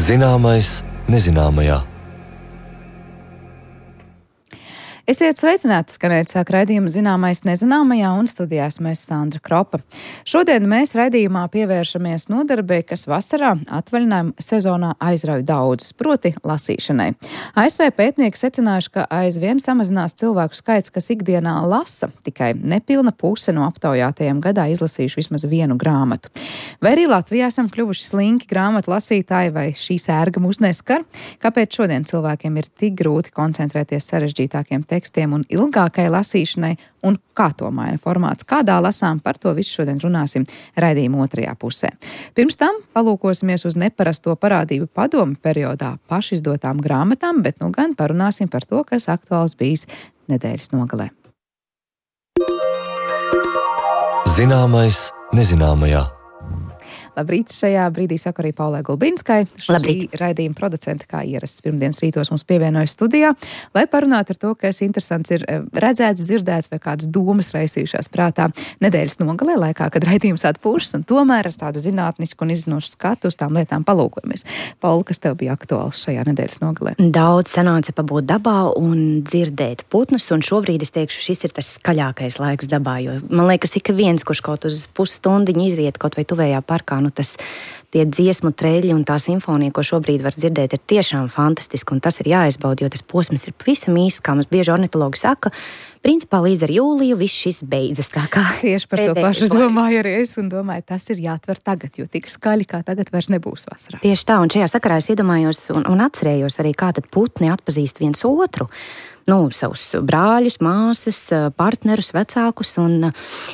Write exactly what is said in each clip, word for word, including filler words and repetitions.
Zināmais nezināmajā. Esiet sveicināti, skanēt sāk raidījumu Zināmais nezināmajā, un studijās mēs Sandra Kropa. Šodien mēs raidījumā pievēršamies nodarbei, kas vasarā atvaļinājuma sezonā aizrauj daudzus, proti lasīšanai. A S V pētnieki secinājuši, ka aizvien samazinās cilvēku skaits, kas ikdienā lasa. Tikai nepilna puse no aptaujātajiem gadā izlasījuši vismaz vienu grāmatu. Vai arī Latvijā esam kļuvuši slinki grāmatu lasītāji, vai šī sērga mūs neskar? Kāpēc šodien cilvēkiem ir tik grūti koncentrēties sarežģītākiem tekstiem un ilgākai lasīšanai, un kā to maina formāts, kādā lasām, par to visu šodien runāsim raidījuma otrajā pusē. Pirms tam palūkosimies uz neparasto parādību padomu periodā pašizdotām grāmatām, bet nu gan parunāsim par to, kas aktuāls bijis nedēļas nogalē. Zināmais nezināmajā. Labrīt, šajā brīdī saku arī Paulai Gulbinskai. Labrīt. Šī raidījuma producente, kā ierasts pirmdienas rītos, mums pievienojas studijā, lai parunātu ar to, kas interesants ir redzēts, dzirdēts vai kādas domas raisījušās prātā nedēļas nogalē laikā, kad raidījums atpūšas, un tomēr ar tādu zinātnisku un izzinošu skatu uz tām lietām palūkojamies. Paula, kas tev bija aktuāls šajā nedēļas nogalē? Daudz sanāca pabūt dabā un dzirdēt putnus, un šobrīd es teikšu, šis ir tas skaļākais laiks dabā, jo man liekas, ik viens, kurš kaut uz pusstundiņu iziet kaut vai tuvējā parkā, nu tas tie dziesmu treļi un tā simfonija, ko šobrīd var dzirdēt, ir tiešām fantastiski, un tas ir jāizbauda, jo tas posms ir pavisam īsts, kā mums bieži ornitologi saka. Principā līdz ar jūliju viss šis beidzas. Tā kā tieši par to pašu domāju arī es, un domāju, tas ir jāatver tagad, jo tik skaļi kā tagad vairs nebūs vasarā. Tieši tā, un šajā sakarā es iedomājos un, un atcerējos arī, kā tad putni atpazīst viens otru. Nu, savus brāļus, māsas, partnerus, vecākus, un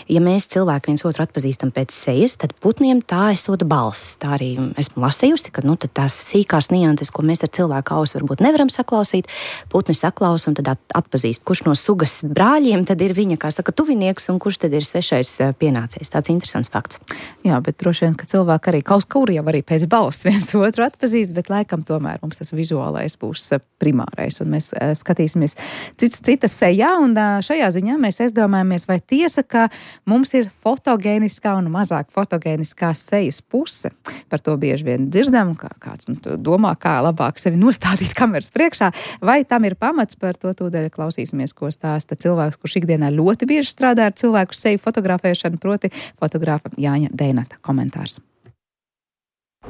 ja mēs cilvēki viens otru atpazīstam pēc sejas, tad putniem tā esot balss. Tā arī esmu lasījusi, ka nu, tās sīkās nianses, ko mēs ar cilvēku ausu varbūt nevaram saklausīt, putni saklausa un tad atpazīst, kurš no sugas brāļiem tad ir viņa, kā saka, tuvinieks, un kurš tad ir svešais pienācējs. Tāds interesants fakts. Jā, bet droši vien, ka cilvēki arī kaut kur jau arī pēc balss viens otru atpazīst, bet laikam tomēr mums tas vizuālais būs primārais, un mēs skatīsimies cits citas sejā, un šajā ziņā mēs aizdomājamies, vai tiesa, ka mums ir fotogēniskā un mazāk fotogēniskā sejas puse. Par to bieži vien dzirdam, kā kāds nu, domā, kā labāk sevi nostādīt kameras priekšā, vai tam ir pamats, par to tūdaļ klausīsimies, ko stāsta cilvēks, kurš ikdienā ļoti bieži strādā ar cilvēku seju fotografēšanu, proti fotogrāfa Jāņa Deinata komentārs.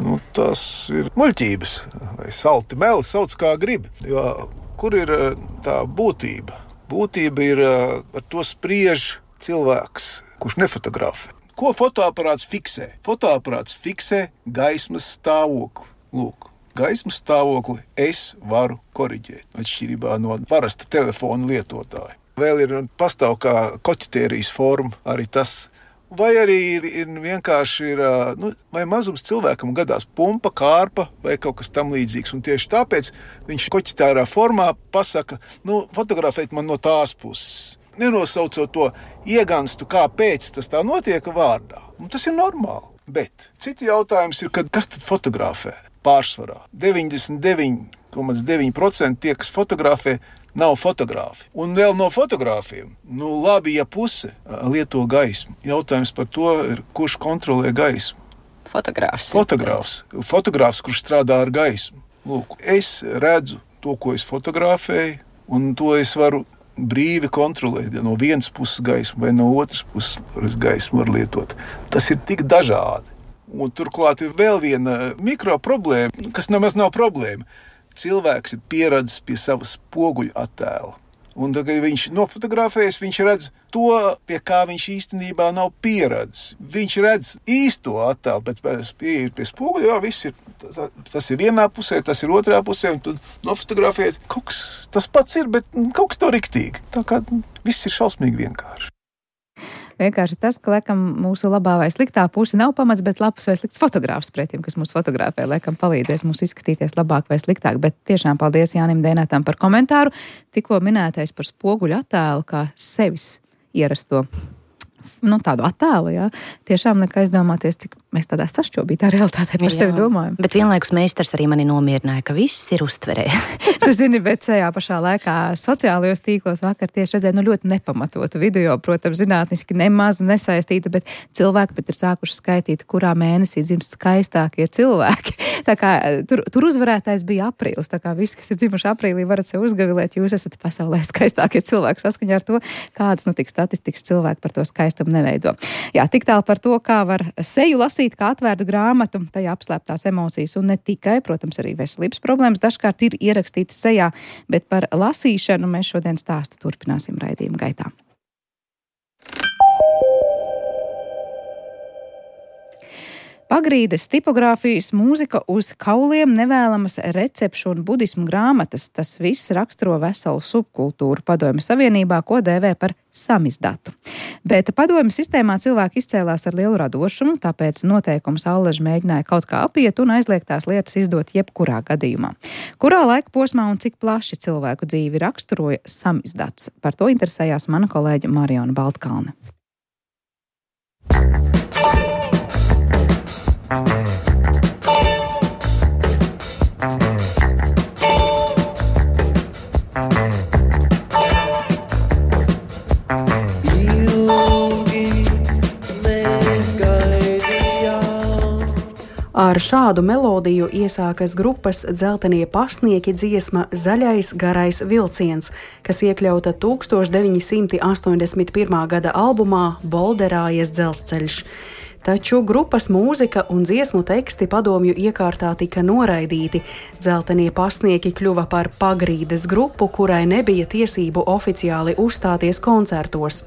Nu, tas ir muļķības, vai salti meli, sauc kā grib, jo kur ir tā būtība? Būtība ir, ar to spriež cilvēks, kurš nefotografē. Ko fotoaparāts fiksē? Fotoaparāts fiksē gaismas stāvokli. Lūk, gaismas stāvokli es varu koriģēt, atšķirībā no parasta telefona lietotāja. Vēl ir pastāv kā koķitērijas forma, arī tas. Vai arī ir, ir vienkārši ir, nu, vai mazums cilvēkam gadās pumpa, kārpa vai kaut kas tam līdzīgs. Un tieši tāpēc viņš koķitārā formā pasaka, nu, fotografēt man no tās puses. Nenosaucot to ieganstu, kāpēc tas tā notiek vārdā. Un tas ir normāli. Bet citi jautājums ir, kad, kas tad fotografē pārsvarā? deviņdesmit deviņi komats deviņi procenti tie, kas fotografē, nav fotogrāfi. Un vēl no fotogrāfiem, nu labi, ja puse lieto gaismu. Jautājums par to ir, kurš kontrolē gaismu. Fotogrāfs. Fotogrāfs. Fotogrāfs, kurš strādā ar gaismu. Lūk, es redzu to, ko es fotografēju, un to es varu brīvi kontrolēt. No vienas puses gaismu vai no otras puses gaismu var lietot. Tas ir tik dažādi. Un turklāt ir vēl viena mikro problēma, kas nemaz nav problēma. Cilvēks ir pieradzis pie savas spoguļa attēla. Un tad, kad viņš nofotografējas, viņš redz to, pie kā viņš īstenībā nav pieradzis. Viņš redz īsto attēlu, bet pie, pie spoguļa, jā, viss ir, tas ir vienā pusē, tas ir otrā pusē, un tad nofotografēt, kaut kas tas pats ir, bet kaut kas to riktīgi. Tā kā viss ir šausmīgi vienkārši. Vienkārši tas, ka, laikam, mūsu labā vai sliktā puse nav pamats, bet labs vai slikts fotogrāfs pretim, kas mūs fotografē, laikam palīdzēs mums izskatīties labāk vai sliktāk. Bet tiešām paldies Jānim Deinatam par komentāru. Tikko minētais par spoguļu attēlu, kā sevis ierasto, nu, tādu attēlu, jā. Tiešām liek aizdomāties, cik mēs tādā sašķobītā realitātē par sevi domājam. Bet vienlaikus meistars arī mani nomierināja, ka viss ir uztverē. Tu zini, bet tajā pašā laikā sociālajos tīklos vakar tieši redzēju, nu ļoti nepamatotu video, protams, zinātniski nemaz nesaistīta, bet cilvēki pat ir sākuši skaitīt, kurā mēnesī dzimst skaistākie cilvēki. Tā kā tur, tur uzvarētājs bija aprīlis, tā kā visi, kas ir dzimuši aprīlī, varat sev uzgavilēt, jūs esat pasaulē skaistākie cilvēki saskaņā ar to, kādas, nu, tik statistikas cilvēki par to skaistumu neveido. Jā, tik tālu par to, kā var seju lasīt, kā atvērtu grāmatu, tajā apslēptās emocijas un ne tikai, protams, arī veselības problēmas dažkārt ir ierakstītas sejā, bet par lasīšanu mēs šodien stāstu turpināsim raidījuma gaitā. Pagrīdes, tipogrāfijas, mūzika uz kauliem, nevēlamas recepšu un budismu grāmatas. Tas viss raksturo veselu subkultūru Padomju Savienībā, ko dēvē par samizdatu. Bet Padomju sistēmā cilvēki izcēlās ar lielu radošumu, tāpēc noteikums allaži mēģināja kaut kā apiet un aizliegtās lietas izdot jebkurā gadījumā. Kurā laika posmā un cik plaši cilvēku dzīvi raksturoja samizdats? Par to interesējās mana kolēģe Mariona Baltkalne. Ar šādu melodiju iesākas grupas Dzeltenie pasnieki dziesma Zaļais garais vilciens, kas iekļauta tūkstoš deviņi simti astoņdesmit pirmā gada albumā Bolderājies dzelzceļš. Taču grupas mūzika un dziesmu teksti padomju iekārtā tika noraidīti. Dzeltenie pasnieki kļuva par pagrīdes grupu, kurai nebija tiesību oficiāli uzstāties koncertos.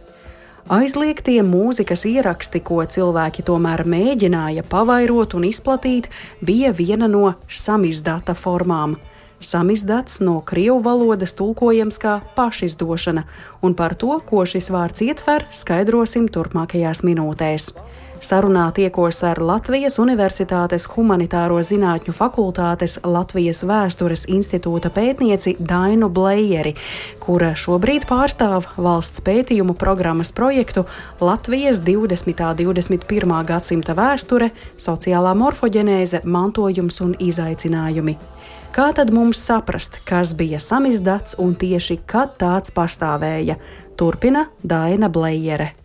Aizliegtie mūzikas ieraksti, ko cilvēki tomēr mēģināja pavairot un izplatīt, bija viena no samizdata formām. Samizdats no krievu valodas tulkojams kā pašizdošana, un par to, ko šis vārds ietver, skaidrosim turpmākajās minūtēs. Sarunā tiekos ar Latvijas Universitātes Humanitāro zinātņu fakultātes Latvijas Vēstures institūta pētnieci Dainu Blejeri, kura šobrīd pārstāv valsts pētījumu programmas projektu Latvijas divdesmitā un divdesmit pirmā gadsimta vēsture, sociālā morfoģenēze, mantojums un izaicinājumi. Kā tad mums saprast, kas bija samizdats un tieši kad tāds pastāvēja? Turpina Daina Blejere.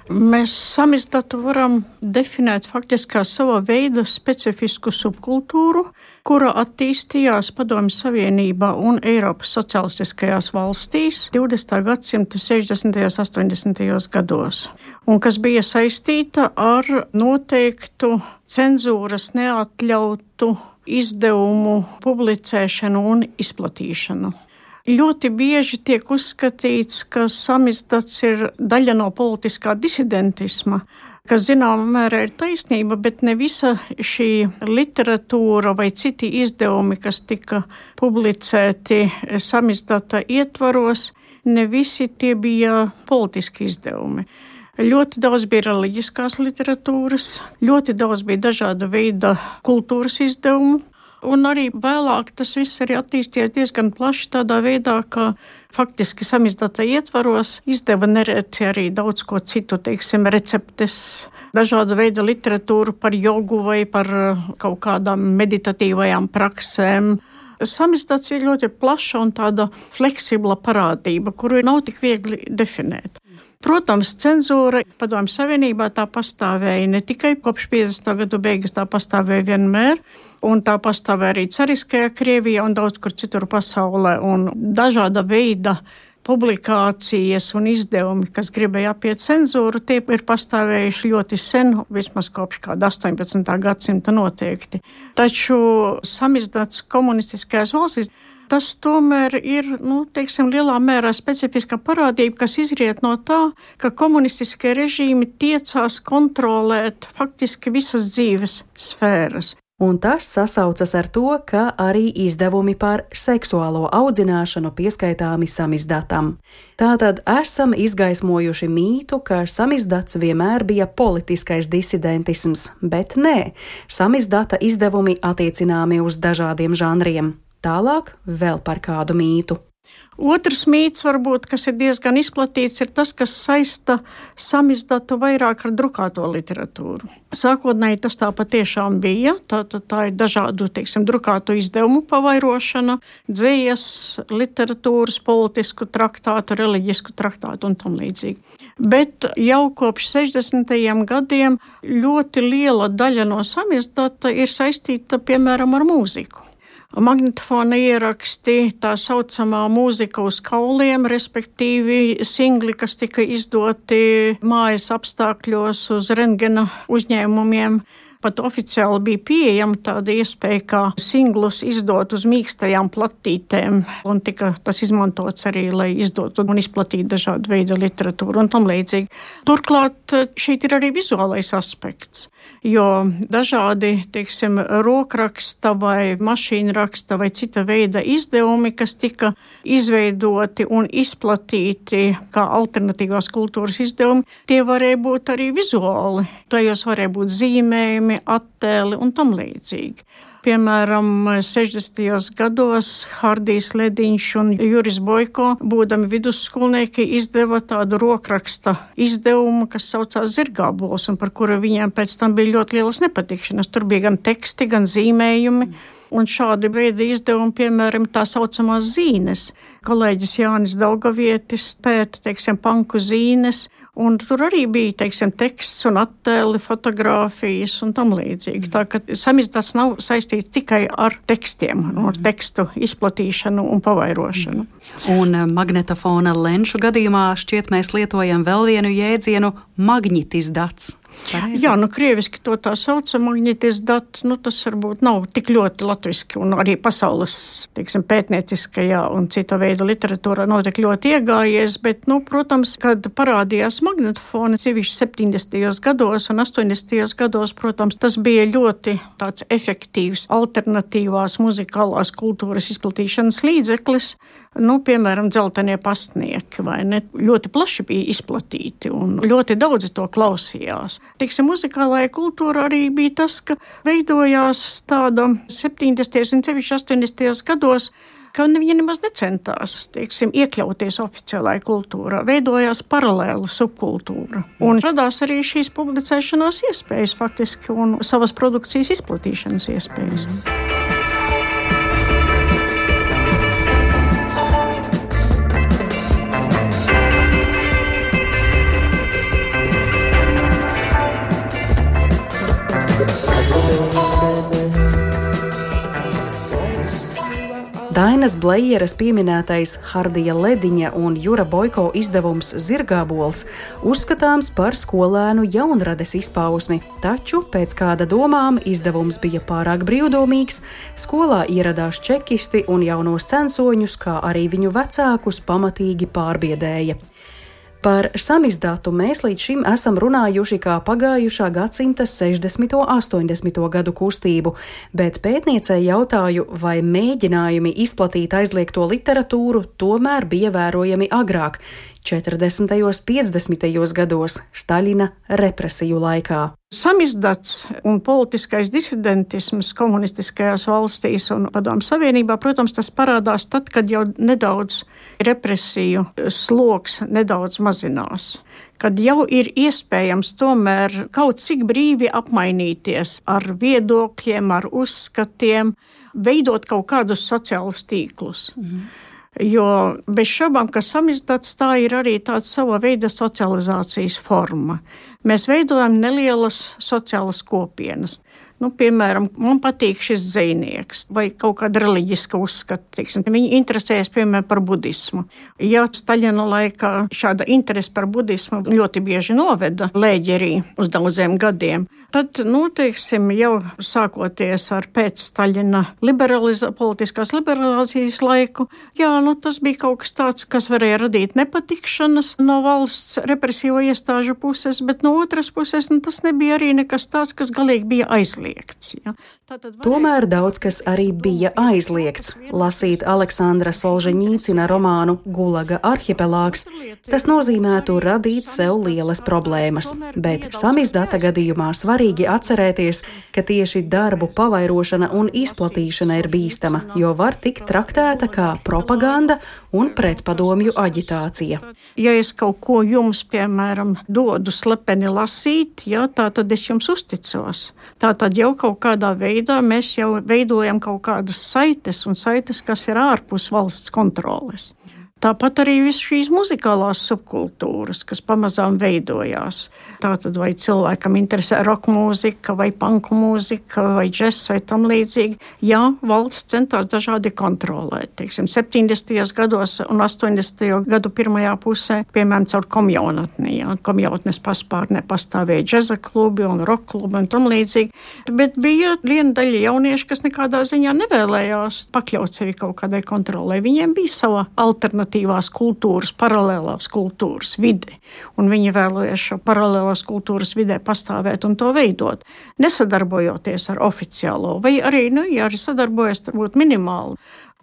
Mēs samizdatu varam definēt faktiski kā sava veida specifisku subkultūru, kura attīstījās Padomju Savienībā un Eiropas socialistiskajās valstīs divdesmitā gadsimta sešdesmitajos un astoņdesmitajos gados, un kas bija saistīta ar noteiktu cenzūras neatļautu izdevumu publicēšanu un izplatīšanu. Ļoti bieži tiek uzskatīts, ka samizdats ir daļa no politiskā disidentisma, kas zināmā mērā ir taisnība, bet ne visa šī literatūra vai citi izdevumi, kas tika publicēti samizdata ietvaros, ne visi tie bija politiski izdevumi. Ļoti daudz bija reliģiskās literatūras, ļoti daudz bija dažāda veida kultūras izdevumu. Un arī vēlāk tas viss arī attīstījies diezgan plaši tādā veidā, ka faktiski samizdata ietvaros izdeva nereti arī daudz ko citu, teiksim, receptes, dažāda veida literatūru par jogu vai par kaut kādām meditatīvajām praksēm. Samizdats ir ļoti plaša un tāda fleksibla parādība, kuru nav tik viegli definēt. Protams, cenzūra Padomju Savienībā tā pastāvēja ne tikai kopš piecdesmitā gadu beigas, tā pastāvēja vienmēr, un tā pastāvēja arī cariskajā Krievijā un daudz kur citur pasaulē, un dažāda veida publikācijas un izdevumi, kas gribēja apiet cenzūru, tie ir pastāvējuši ļoti sen, vismaz kopš kāda astoņpadsmitā gadsimta noteikti. Taču samizdats komunistiskajās valstīs, tas tomēr ir, nu, teiksim, lielā mērā specifiska parādība, kas izriet no tā, ka komunistiskie režīmi tiecās kontrolēt faktiski visas dzīves sfēras. Un tas sasaucas ar to, ka arī izdevumi par seksuālo audzināšanu pieskaitāmi samizdatam. Tātad esam izgaismojuši mītu, ka samizdats vienmēr bija politiskais disidentisms, bet nē, samizdata izdevumi attiecināmi uz dažādiem žanriem. Tālāk vēl par kādu mītu. Otrs mīts, varbūt, kas ir diezgan izplatīts, ir tas, kas saista samizdatu vairāk ar drukāto literatūru. Sākotnēji tas tā patiešām bija. Tā, tā, tā ir dažādu, teiksim, drukātu izdevumu pavairošana, dzejas, literatūras, politisku traktātu, reliģisku traktātu un tam līdzīgi. Bet jau kopš sešdesmitajiem gadiem ļoti liela daļa no samizdata ir saistīta, piemēram, ar mūziku. Magnetofona ieraksti, tā saucamā mūzika uz kauliem, respektīvi singli, kas tika izdoti mājas apstākļos uz rentgena uzņēmumiem. Pat oficiāli bija pieejama tāda iespēja, kā singlus izdot uz mīkstajām platītēm, un tika tas izmantots arī, lai izdotu un izplatītu dažādu veidu literatūru un tam līdzīgi. Turklāt šeit ir arī vizuālais aspekts, jo dažādi, teiksim, rokraksta vai mašīnraksta vai cita veida izdevumi, kas tika izveidoti un izplatīti kā alternatīvās kultūras izdevumi, tie varēja būt arī vizuāli. Tajos varēja būt zīmējumi, attēli un tam līdzīgi. Piemēram, sešdesmitajos gados Hardijs Lediņš un Juris Boiko, būdami vidusskolnieki, izdeva tādu rokraksta izdevumu, kas saucās Zirgābols, un par kuru viņiem pēc tam bija ļoti lielas nepatikšanas. Tur bija gan teksti, gan zīmējumi. Un šādi veidi izdevumi, piemēram, tā saucamās zīnes. Kolēģis Jānis Daugavietis pēta, teiksim, panku zīnes, un tur arī bija, teiksim, teksts un attēli, fotogrāfijas un tam līdzīgi. Tā ka samizdats nav saistīts tikai ar tekstiem, ar tekstu izplatīšanu un pavairošanu. Un magnetofona lenšu gadījumā šķiet mēs lietojam vēl vienu jēdzienu magnitizdats. Pareizi. Jā, nu krieviski to tā sauca magnitizdats, nu tas varbūt nav tik ļoti latviski un arī pasaules, teiksim, pētnieciskajā un cita veida literatūrā nav tik ļoti iegājies, bet, nu, protams, kad parādījās magnetofoni, sevišķi septiņdesmitajos gados un astoņdesmitajos gados, protams, tas bija ļoti tāds efektīvs alternatīvās muzikālās kultūras izplatīšanas līdzeklis, nu, piemēram, Dzeltenie pastnieki, vai ne, ļoti plaši bija izplatīti un ļoti daudzi to klausījās. Teiksim, muzikālajā kultūrā arī bija tas, ka veidojās tāda septiņdesmitajos un sevišķi astoņdesmitajos gados, ka viņi nemaz necentās, teiksim, iekļauties oficiālajā kultūrā. Veidojās paralēla subkultūra. Un radās arī šīs publicēšanās iespējas faktiski un savas produkcijas izplatīšanas iespējas. Dainas Blejeras pieminētais Hardija Lediņa un Jura Boiko izdevums Zirgābols uzskatāms par skolēnu jaunrades izpausmi, taču pēc kāda domām izdevums bija pārāk brīvdomīgs, skolā ieradās čekisti un jaunos censoņus, kā arī viņu vecākus pamatīgi pārbiedēja. Par samizdatu mēs līdz šim esam runājuši kā pagājušā gadsimta sešdesmito un astoņdesmito gadu kustību, bet pētniecei jautāju, vai mēģinājumi izplatīt aizliegto literatūru tomēr bija vērojami agrāk, četrdesmitajos, piecdesmitajos gados, Staļina represiju laikā. Samizdats un politiskais disidentisms komunistiskajās valstīs un Padomju Savienībā, protams, tas parādās tad, kad jau nedaudz represiju sloks nedaudz mazinās. Kad jau ir iespējams tomēr kaut cik brīvi apmainīties ar viedokļiem, ar uzskatiem, veidot kaut kādus sociālus tīklus. Mhm. Jo bez šaubām, ka samizdats tā ir arī tāda sava veida socializācijas forma. Mēs veidojam nelielas sociālas kopienas. Nu, piemēram, man patīk šis dzejnieks vai kaut kāda reliģiska uzskata. Teiksim, viņi interesējas, piemēram, par budismu. Ja Staļina laikā šāda interese par budismu ļoti bieži noveda lēģerī uz daudziem gadiem, tad, nu, teiksim, jau sākoties ar pēc Staļina liberaliza- politiskās liberalizācijas laiku, jā, nu, tas bija kaut kas tāds, kas varēja radīt nepatikšanas no valsts represīvo iestāžu puses, bet no otras puses, nu, tas nebija arī nekas tāds, kas galīgi bija aizliegts. aizliegts. Ja. Tomēr daudz kas arī bija aizliegts. Lasīt Aleksandra Solženīcina romānu Gulaga arhipelāgs, tas nozīmētu radīt sev lielas problēmas. Bet samizdata gadījumā svarīgi atcerēties, ka tieši darbu pavairošana un izplatīšana ir bīstama, jo var tikt traktēta kā propaganda un pretpadomju aģitācija. Ja es kaut ko jums, piemēram, dodu slepeni lasīt, ja, tā tad es jums uzticos. Tā tad jau kaut kādā veidā mēs jau veidojam kaut kādas saites un saites, kas ir ārpus valsts kontroles. Tāpat arī viss šīs muzikālās subkultūras, kas pamazām veidojās. Tātad vai cilvēkam interesē rock mūzika, vai panku mūzika, vai džess, vai tam līdzīgi. Jā, valsts centās dažādi kontrolēt. Teiksim, septiņdesmitajos gados un astoņdesmito gadu pirmajā pusē, piemēram, caur komjaunatni. Jā, komjautnes paspārnē pastāvēja džeza klubi un rock klubi un tam līdzīgi. Bet bija viena daļa jaunieši, kas nekādā ziņā nevēlējās pakļaut sevi kaut kādai kontrolē. Viņiem bija sava alternatīva. Kultūras, paralēlās kultūras vide. Un viņi vēlējās šo paralēlās kultūras vidē pastāvēt un to veidot, nesadarbojoties ar oficiālo, vai arī, nu, ja arī sadarbojas, varbūt minimāli.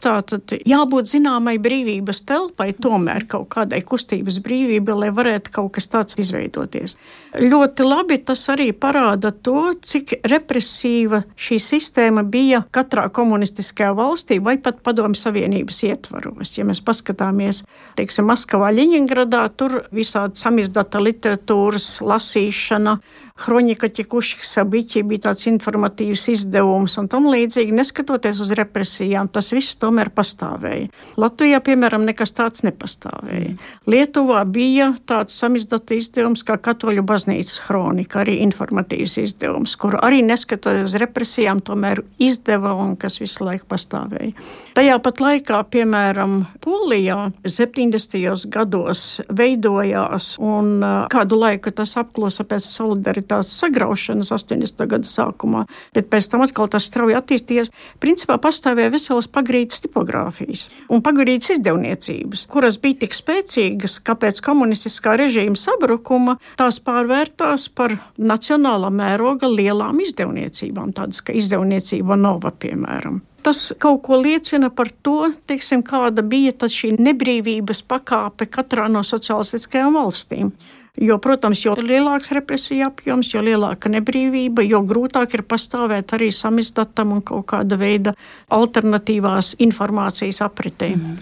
Tātad jābūt zināmai brīvības telpai, tomēr kaut kādai kustības brīvībai, lai varētu kaut kas tāds izveidoties. Ļoti labi tas arī parāda to, cik represīva šī sistēma bija katrā komunistiskajā valstī vai pat Padomju Savienības ietvaros. Ja mēs paskatāmies, teiksim, Maskavā, Ļeņingradā, tur visādi samizdata literatūras lasīšana, Hronika Ķekuškas sabiķi bija tāds informatīvs izdevums un tam līdzīgi, neskatoties uz represijām, tas viss tomēr pastāvēja. Latvijā, piemēram, nekas tāds nepastāvēja. Lietuvā bija tāds samizdata izdevums kā Katoļu baznīcas hronika, arī informatīvs izdevums, kur arī neskatoties uz represijām, tomēr izdeva un kas visu laiku pastāvēja. Tajā pat laikā, piemēram, Polijā septiņdesmitajos gados veidojās un kādu laiku tas apklusa pēc solidaritātes sagraušanas astoņdesmito gadu sākumā, bet pēc tam atkal tas strauji attīstījies. Principā pastāvēja veselas pagrīdes tipogrāfijas un pagrīdes izdevniecības, kuras bija tik spēcīgas, ka pēc komunistiskā režīma sabrukuma tās pārvērtās par nacionālā mēroga lielām izdevniecībām, tādas kā izdevniecība Nova, piemēram. Tas kaut ko liecina par to, teiksim, kāda bija tas šī nebrīvības pakāpe katrā no sociālistiskajām valstīm. Jo, protams, jo lielāks represija apjoms, jo lielāka nebrīvība, jo grūtāk ir pastāvēt arī samizdatam un kaut kāda veida alternatīvās informācijas apritē. Mm.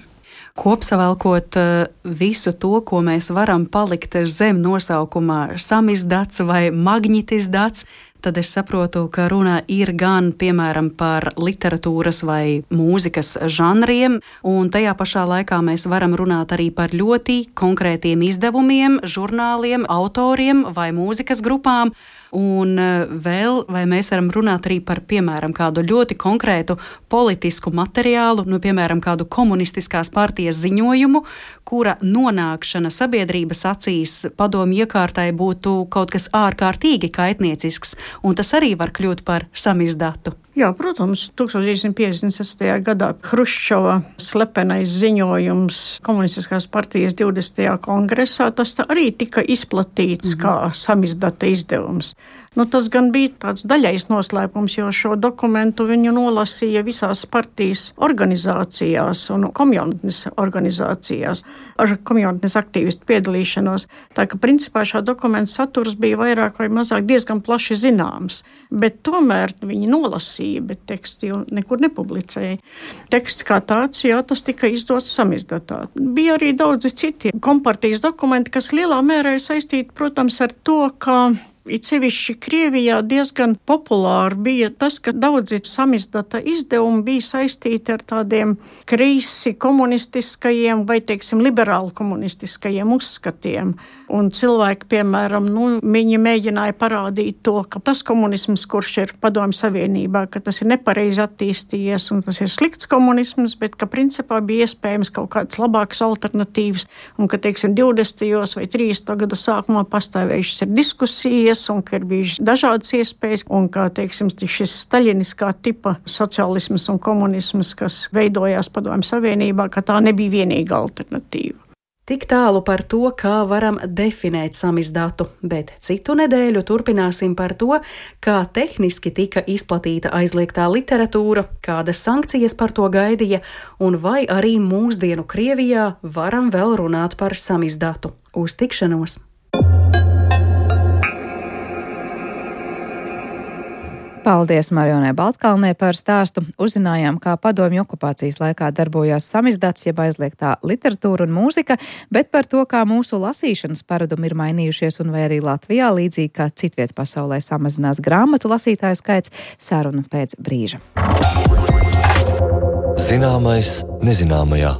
Kopsavilkot visu to, ko mēs varam palikt zem nosaukumā samizdats vai magnitizdats, tad es saprotu, ka runa ir gan, piemēram, par literatūras vai mūzikas žanriem, un tajā pašā laikā mēs varam runāt arī par ļoti konkrētiem izdevumiem, žurnāliem, autoriem vai mūzikas grupām. Un vēl, vai mēs varam runāt arī par, piemēram, kādu ļoti konkrētu politisku materiālu, nu, piemēram, kādu komunistiskās partijas ziņojumu, kura nonākšana sabiedrības acīs padomju iekārtai būtu kaut kas ārkārtīgi kaitniecisks, un tas arī var kļūt par samizdatu. Jā, protams, tūkstoš deviņsimt piecdesmit sestajā gadā Hruščova slepenais ziņojums komunistiskās partijas divdesmitajā kongresā, tas arī tika izplatīts mm-hmm. kā samizdata izdevums. Nu, tas gan bija tāds daļais noslēpums, jo šo dokumentu viņu nolasīja visās partijas organizācijās un komjaunatnes organizācijās ar komjaunatnes aktīvistu piedalīšanos. Tā ka principā šā dokumenta saturs bija vairāk vai mazāk diezgan plaši zināms, bet tomēr viņi nolasīja, bet tekstu jau nekur nepublicēja. Teksts kā tāds, jā, tas tika izdots samizdatā. Bija arī daudzi citi kompartijas dokumenti, kas lielā mērā ir saistīti, protams, ar to, ka it sevišķi Krievijā diezgan populāri bija tas, ka daudzi samizdata izdevumi bija saistīti ar tādiem kreisi komunistiskajiem vai, teiksim, liberāli komunistiskajiem uzskatiem. Un cilvēki, piemēram, nu, viņi mēģināja parādīt to, ka tas komunisms, kurš ir Padomju Savienībā, ka tas ir nepareizi attīstījies un tas ir slikts komunisms, bet ka principā bija iespējams kaut kādas labākas alternatīvas un ka, teiksim, divdesmitajos vai trīsdesmito gadu sākumā pastāvējušas ir diskusijas un ka ir bijušas dažādas iespējas un ka, teiksim, šis staļiniskā tipa sociālisms un komunisms, kas veidojās Padomju Savienībā, ka tā nebija vienīga alternatīva. Tik tālu par to, kā varam definēt samizdatu, bet citu nedēļu turpināsim par to, kā tehniski tika izplatīta aizliegtā literatūra, kādas sankcijas par to gaidīja, un vai arī mūsdienu Krievijā varam vēl runāt par samizdatu. Uz tikšanos! Paldies Marionai Baltkalnē par stāstu. Uzzinājām, kā padomju okupācijas laikā darbojās samizdats, jeb aizliegtā literatūra un mūzika, bet par to, kā mūsu lasīšanas paradumi ir mainījušies un vai arī Latvijā, līdzīgi kā citviet pasaulē, samazinās grāmatu lasītāju skaits, saruna pēc brīža. Zināmais nezināmajā.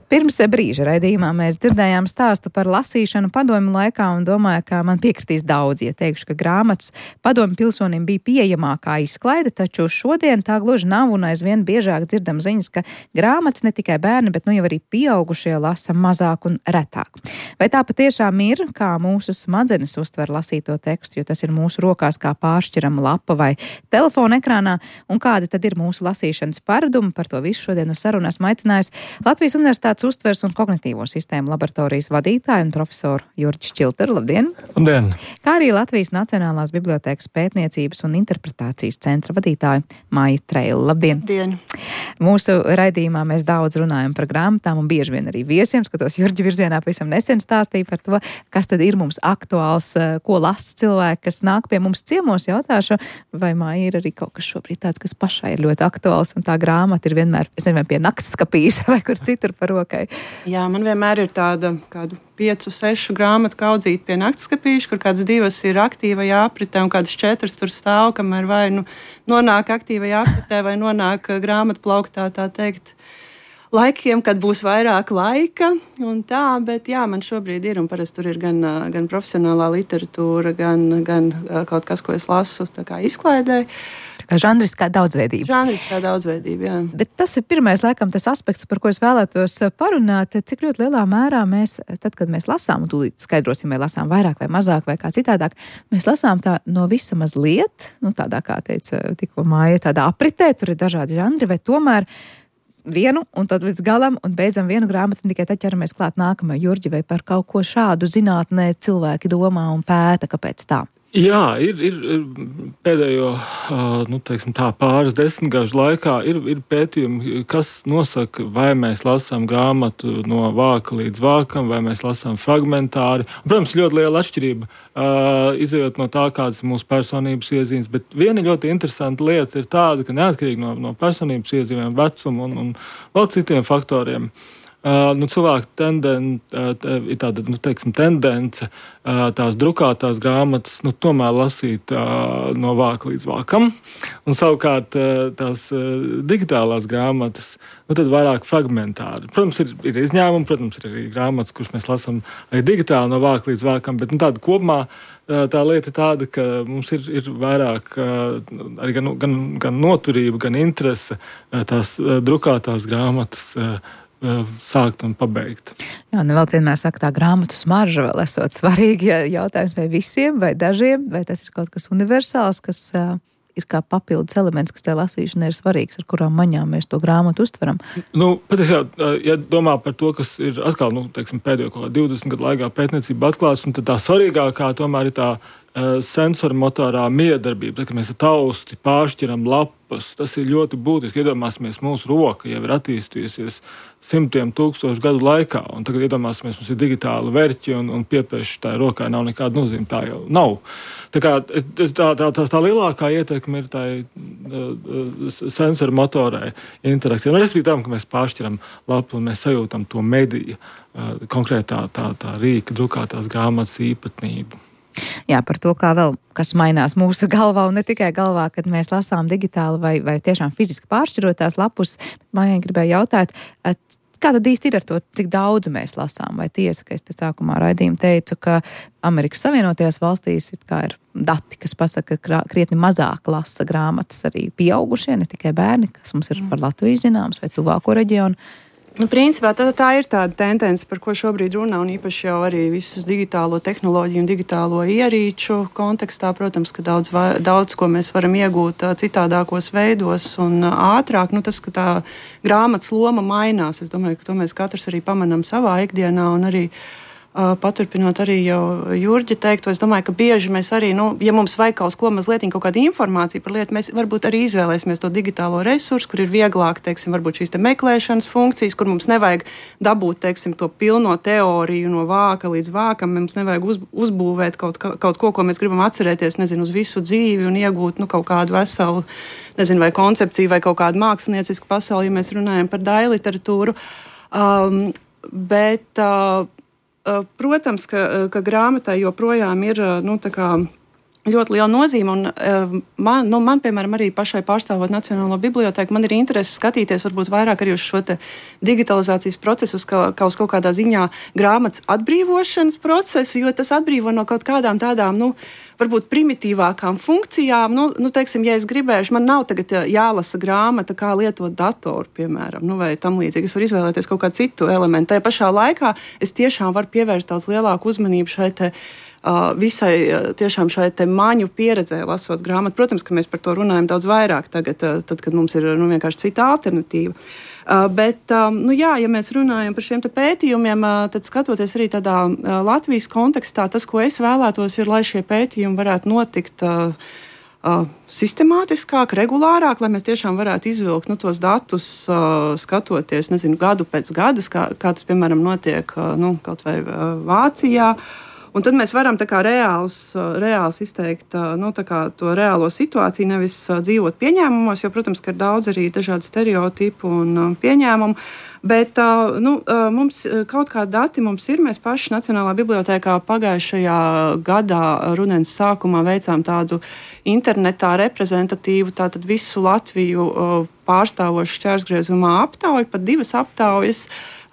Pirms brīža raidījumā mēs dzirdējām stāstu par lasīšanu padomju laikā un domāju, ka man piekritīs daudz, ja teikšu, ka grāmatas padomju pilsonim bija pieejamākā izklaide, taču šodien tā gluži nav un aizvien biežāk dzirdam ziņas, ka grāmatas ne tikai bērni, bet nu jau arī pieaugušie lasa mazāk un retāk. Vai tā patiešām ir, kā mūsu smadzenes uztver lasīto tekstu, jo tas ir mūsu rokās kā pāršķirama lapa vai telefona ekrānā, un kādi tad ir mūsu lasīšanas paradumi? Par to visu šodien uz sarunu esmu aicinājusi Latvijas Universitātes uztvers un kognitīvo sistēmu laboratorijas vadītāju un profesoru Jurģi Šķilteru. Labdien! Labdien! Kā arī Latvijas Nacionālās bibliotēkas pētniecības un interpretācijas centra vadītāju Māju Treilu. Labdien! Labdien! Mūsu raidījumā mēs daudz runājam par grāmatām un bieži vien arī viesiem, skatos Jurģi virzienā, pavisam nesen stāstīja par to, kas tad ir mums aktuāls, ko lasa cilvēki, kas nāk pie mums ciemos. Jautāšu, vai Māja ir arī kaut kas šobrīd tāds, kas pašai ir ļoti aktuāls un tā grāmata ir vienmēr, es nezinu, pie naktskapīša vai kur citur par roku. Jā, man vienmēr ir tāda kādu piecu, sešu grāmatu kaudzīta pie naktskapīša, kur kādas divas ir aktīvajā apritē un kādas četras tur stāv, kamēr vai nu nonāk aktīvajā apritē vai nonāk grāmatu plauktā, tā teikt, laikiem, kad būs vairāk laika un tā, bet jā, man šobrīd ir un parasti tur ir gan, gan profesionālā literatūra, gan, gan kaut kas, ko es lasu tā kā izklaidē. Žanriskā daudzveidība. Žanriskā daudzveidība, jā. Bet tas ir pirmais, laikam, tas aspekts, par ko es vēlētos parunāt, cik ļoti lielā mērā mēs, tad, kad mēs lasām, un tūlīt skaidrosim, vai lasām vairāk vai mazāk vai kā citādāk, mēs lasām tā no visa mazliet, nu tādā, kā teica tikko Māja, tādā apritē, tur ir dažādi žanri, vai tomēr vienu un tad līdz galam un beidzam vienu grāmatu un tikai tad ķeramies klāt nākamai. Jurģi, vai par kaut ko šādu zinātnē cilvēki domā un pēta, kāpēc tā? Jā, ir, ir pēdējo nu, teiksim, tā, pāris desmitgažu laikā ir, ir pētījumi, kas nosaka, vai mēs lasām grāmatu no vāka līdz vākam, vai mēs lasām fragmentāri. Un, protams, ļoti liela atšķirība, izējot no tā, kādas ir mūsu personības iezīmes. Bet viena ļoti interesanta lieta ir tāda, ka neatkarīgi no, no personības iezīmēm, vecuma un, un vēl citiem faktoriem, Uh, nu, cilvēku tenden, uh, ir tāda nu, teiksim, tendence uh, tās drukātās grāmatas nu, tomēr lasīt uh, no vāka līdz vākam, un savukārt uh, tās uh, digitālās grāmatas nu, tad vairāk fragmentāri. Protams, ir, ir izņēmumi, protams, ir arī grāmatas, kuras mēs lasām arī digitāli no vāka līdz vākam, bet nu, tāda kopumā uh, tā lieta ir tāda, ka mums ir, ir vairāk uh, arī gan, gan, gan noturība, gan interese uh, tās uh, drukātās grāmatas uh, sākt un pabeigt. Jā, nu vēl vienmēr saka, tā grāmatu smarža vēl esot svarīgi, ja jautājums vai visiem, vai dažiem, vai tas ir kaut kas universāls, kas uh, ir kā papildus elements, kas tajā lasīšanai ir svarīgs, ar kurām maņām mēs to grāmatu uztveram. Nu, patiesībā, ja domā par to, kas ir atkal, nu, teiksim, pēdējo kaut kā divdesmit gadu laikā pētniecība atklāts, un tad tā svarīgākā tomēr ir tā sensormotorā miedarbība, kad mēs ar tausti pāršķiram lapas. Tas ir ļoti būtiski. Iedomāsimies, mūsu roka jau ir attīstījusies simtiem tūkstošu gadu laikā, un tagad iedomāsimies, mums ir digitāli verķi un, un piepieši tā rokai nav nekāda nozīme. Tā jau nav. Tā, kā, es, tā, tā, tā, tā lielākā ietekme ir tā uh, sensormotorai interakcija. Un respektīvi tam, ka mēs pāršķiram lapu un mēs sajūtam to mediju, uh, konkrētā tā, tā rīka, drukātās grāmatas īpatnību. Jā, par to, kā vēl, kas mainās mūsu galvā, un ne tikai galvā, kad mēs lasām digitāli vai, vai tiešām fiziski pāršķirotās lapus. Mājai gribēju jautāt, kā tad īsti ir ar to, cik daudz mēs lasām? Vai tiesa, ka es te sākumā raidījumu teicu, ka Amerikas Savienotajās valstīs it kā ir dati, kas pasaka, ka krietni mazāk lasa grāmatas arī pieaugušie, ne tikai bērni, kas mums ir par Latviju zināms vai tuvāko reģionu? Nu, principā tā, tā ir tāda tendence, par ko šobrīd runā, un īpaši jau arī visus digitālo tehnoloģiju un digitālo ierīču kontekstā. Protams, ka daudz, daudz ko mēs varam iegūt citādākos veidos un ātrāk. Nu, tas, ka tā grāmatas loma mainās, es domāju, ka to mēs katrs arī pamanām savā ikdienā un arī paturpinot arī jau Jurģa teikto, es domāju, ka bieži mēs arī, nu, ja mums vajag kaut ko mazliet, kaut kādu informāciju par lietu, mēs varbūt arī izvēlēsimies to digitālo resursu, kur ir vieglāk, teiksim, varbūt šīs te meklēšanas funkcijas, kur mums nevajag dabūt, teiksim, to pilno teoriju no vāka līdz vākam, mums nevajag uz, uzbūvēt kaut, kaut ko, ko mēs gribam atcerēties, nezinu, uz visu dzīvi un iegūt, nu, kaut kādu veselu, nezinu, vai koncepciju vai kaut kādu māksliniecisku pasauli, ja mēs runājam par daļu literatūru. Um, bet, uh, Protams, ka, ka grāmatai joprojām ir nu, ļoti liela nozīme. Un, man, nu, man, piemēram, arī pašai pārstāvot Nacionālo bibliotēku, man ir interese skatīties varbūt vairāk arī uz šo digitalizācijas procesu, kā, kā uz kaut kādā ziņā grāmatas atbrīvošanas procesu, jo tas atbrīvo no kaut kādām tādām, nu, varbūt primitīvākām funkcijām. Nu, nu, teiksim, ja es gribēšu, man nav tagad jālasa grāmata, kā lietot datoru, piemēram, nu, vai tam līdzīgi. Es varu izvēlēties kaut kādu citu elementu. Tajā pašā laikā es tiešām varu pievērst daudz lielāku uzmanību šai te Uh, visai uh, tiešām šai te maņu pieredzē lasot grāmatu. Protams, ka mēs par to runājam daudz vairāk tagad, uh, tad, kad mums ir nu, vienkārši cita alternatīva. Uh, bet, um, nu jā, ja mēs runājam par šiem te pētījumiem, uh, tad skatoties arī tādā uh, Latvijas kontekstā, tas, ko es vēlētos, ir, lai šie pētījumi varētu notikt uh, uh, sistemātiskāk, regulārāk, lai mēs tiešām varētu izvilkt nu, tos datus, uh, skatoties, nezinu, gadu pēc gadas, kā, kā tas, piemēram, notiek uh, nu, kaut vai uh, Vācijā. Un tad mēs varam tā kā reāls, reāls izteikt nu, tā kā to reālo situāciju, nevis dzīvot pieņēmumos, jo, protams, ka ir daudz arī dažādu stereotipu un pieņēmumu. Bet nu, mums kaut kādi dati mums ir. Mēs paši Nacionālā bibliotēkā pagājušajā gadā rudens sākumā veicām tādu internetā reprezentatīvu, tātad visu Latviju pārstāvošu šķērsgriezumā aptauju, pat divas aptaujas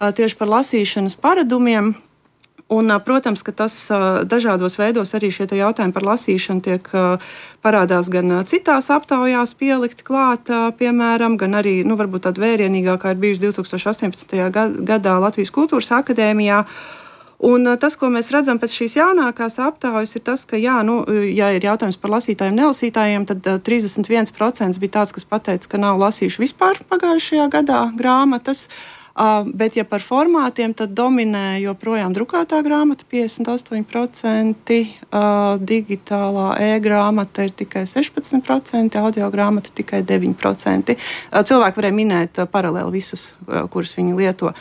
tieši par lasīšanas paradumiem. Un, protams, ka tas dažādos veidos arī šie jautājumi par lasīšanu tiek parādās gan citās aptaujās pielikt klāt, piemēram, gan arī, nu, varbūt tāda vērienīgākā ir bijusi divi tūkstoši astoņpadsmitajā gadā Latvijas Kultūras akadēmijā. Un tas, ko mēs redzam pēc šīs jaunākās aptaujas, ir tas, ka, jā, nu, ja ir jautājums par lasītājiem, nelasītājiem, tad trīsdesmit viens procents bija tāds, kas pateica, ka nav lasījuši vispār pagājušajā gadā grāmatas. Uh, bet, ja par formātiem, tad dominē joprojām drukātā grāmata piecdesmit astoņi procenti, uh, digitālā e-grāmata ir tikai sešpadsmit procenti, audio grāmata tikai deviņi procenti. Uh, cilvēki varēja minēt uh, paralēli visas, uh, kuras viņi lieto.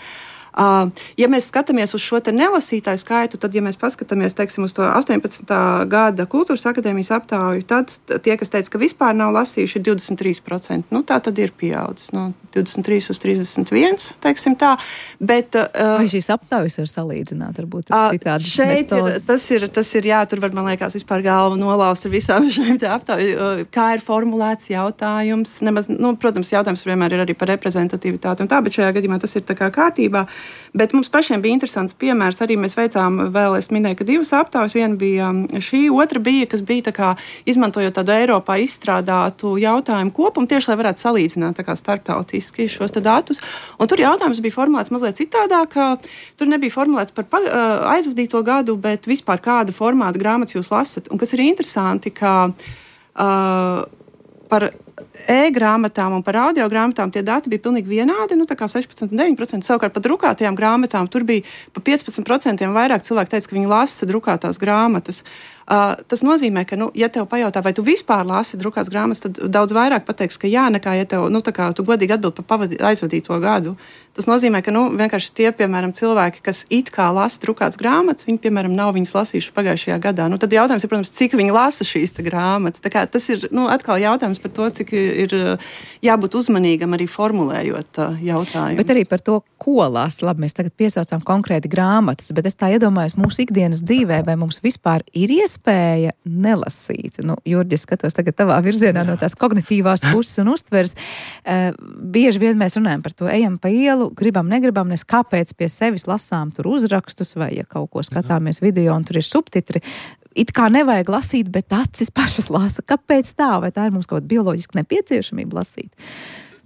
Uh, ja mēs skatāmies uz šo te nelasītāju skaitu, tad, ja mēs paskatāmies, teiksim, uz to astoņpadsmitā gada Kultūras akadēmijas aptauju, tad tie, kas teica, ka vispār nav lasījuši, ir divdesmit trīs procenti. Nu, tā tad ir pieaudzis no divdesmit trīs uz trīsdesmit viens, teiksim tā. Bet, uh, vai šīs aptaujas var salīdzināt, varbūt ar citādi uh, metodas? Ir, tas, ir, tas ir, jā, tur var, man liekas, vispār galvu nolaust ar visām šiem te aptauju. Uh, kā ir formulēts jautājums? Nemaz, nu, protams, jautājums vienmēr ir arī par reprezentatīvitāti un tā, bet šajā gadījumā tas ir tā kā kārtībā. Bet mums pašiem bija interesants piemērs. Arī mēs veicām, vēl es minēju, ka divas aptaujas. Viena bija šī, otra bija, kas bija tā kā izmantojot tādu Eiropā izstrādātu jautājumu kopumu, tieši lai varētu salīdzināt tā kā starptautiski šos te datus. Un tur jautājums bija formulēts mazliet citādāk. Tur nebija formulēts par aizvadīto gadu, bet vispār kādu formātu grāmatas jūs lasat. Un kas ir interesanti, ka uh, par e-grāmatām un par audio grāmatām tie dati bija pilnīgi vienādi, nu tā kā sešpadsmit un deviņi procenti. Savukārt par drukātajām grāmatām tur bija pa piecpadsmit procenti vairāk cilvēku teica, ka viņi lasa drukātās grāmatas. Uh, tas nozīmē, ka, nu, ja tev pajautā, vai tu vispār lasi drukātas grāmatas, tad daudz vairāk pateiks, ka jā, nekā, ja tev, nu, tā kā tu godīgi atbild par pavadi, aizvadīto gadu. Tas nozīmē, ka, nu, vienkārši tie, piemēram, cilvēki, kas it kā lasa drukātas grāmatas, viņi, piemēram, nav viņas lasījuši pagājušajā gadā. Nu, tad jautājums ir, protams, cik viņi lasa šīs te grāmatas. Tā kā tas ir, nu, atkal jautājums par to, cik ir jābūt uzmanīgam arī formulējot uh, jautājumu. Bet arī par to, ko lasa. Labi, mēs tagad piesaucām konkrēti grāmatas, bet es tā iedomājos mūsu ikdienas dzīvē, vai mums vispār ir iespēja nelasīt. Nu, Jurģi, skatos tagad tavā virzienā no tās kognitīvās puses un uztveres. Uh, bieži vien mēs runājam par to, ejam pa ielu, gribam, negribam, nes kāpēc pie sevis lasām tur uzrakstus, vai ja kaut ko skatāmies video un tur ir subtitri. It kā nevajag lasīt, bet acis pašas lasa. Kāpēc tā? Vai tā ir mums kaut kāda bioloģiska nepieciešamība lasīt?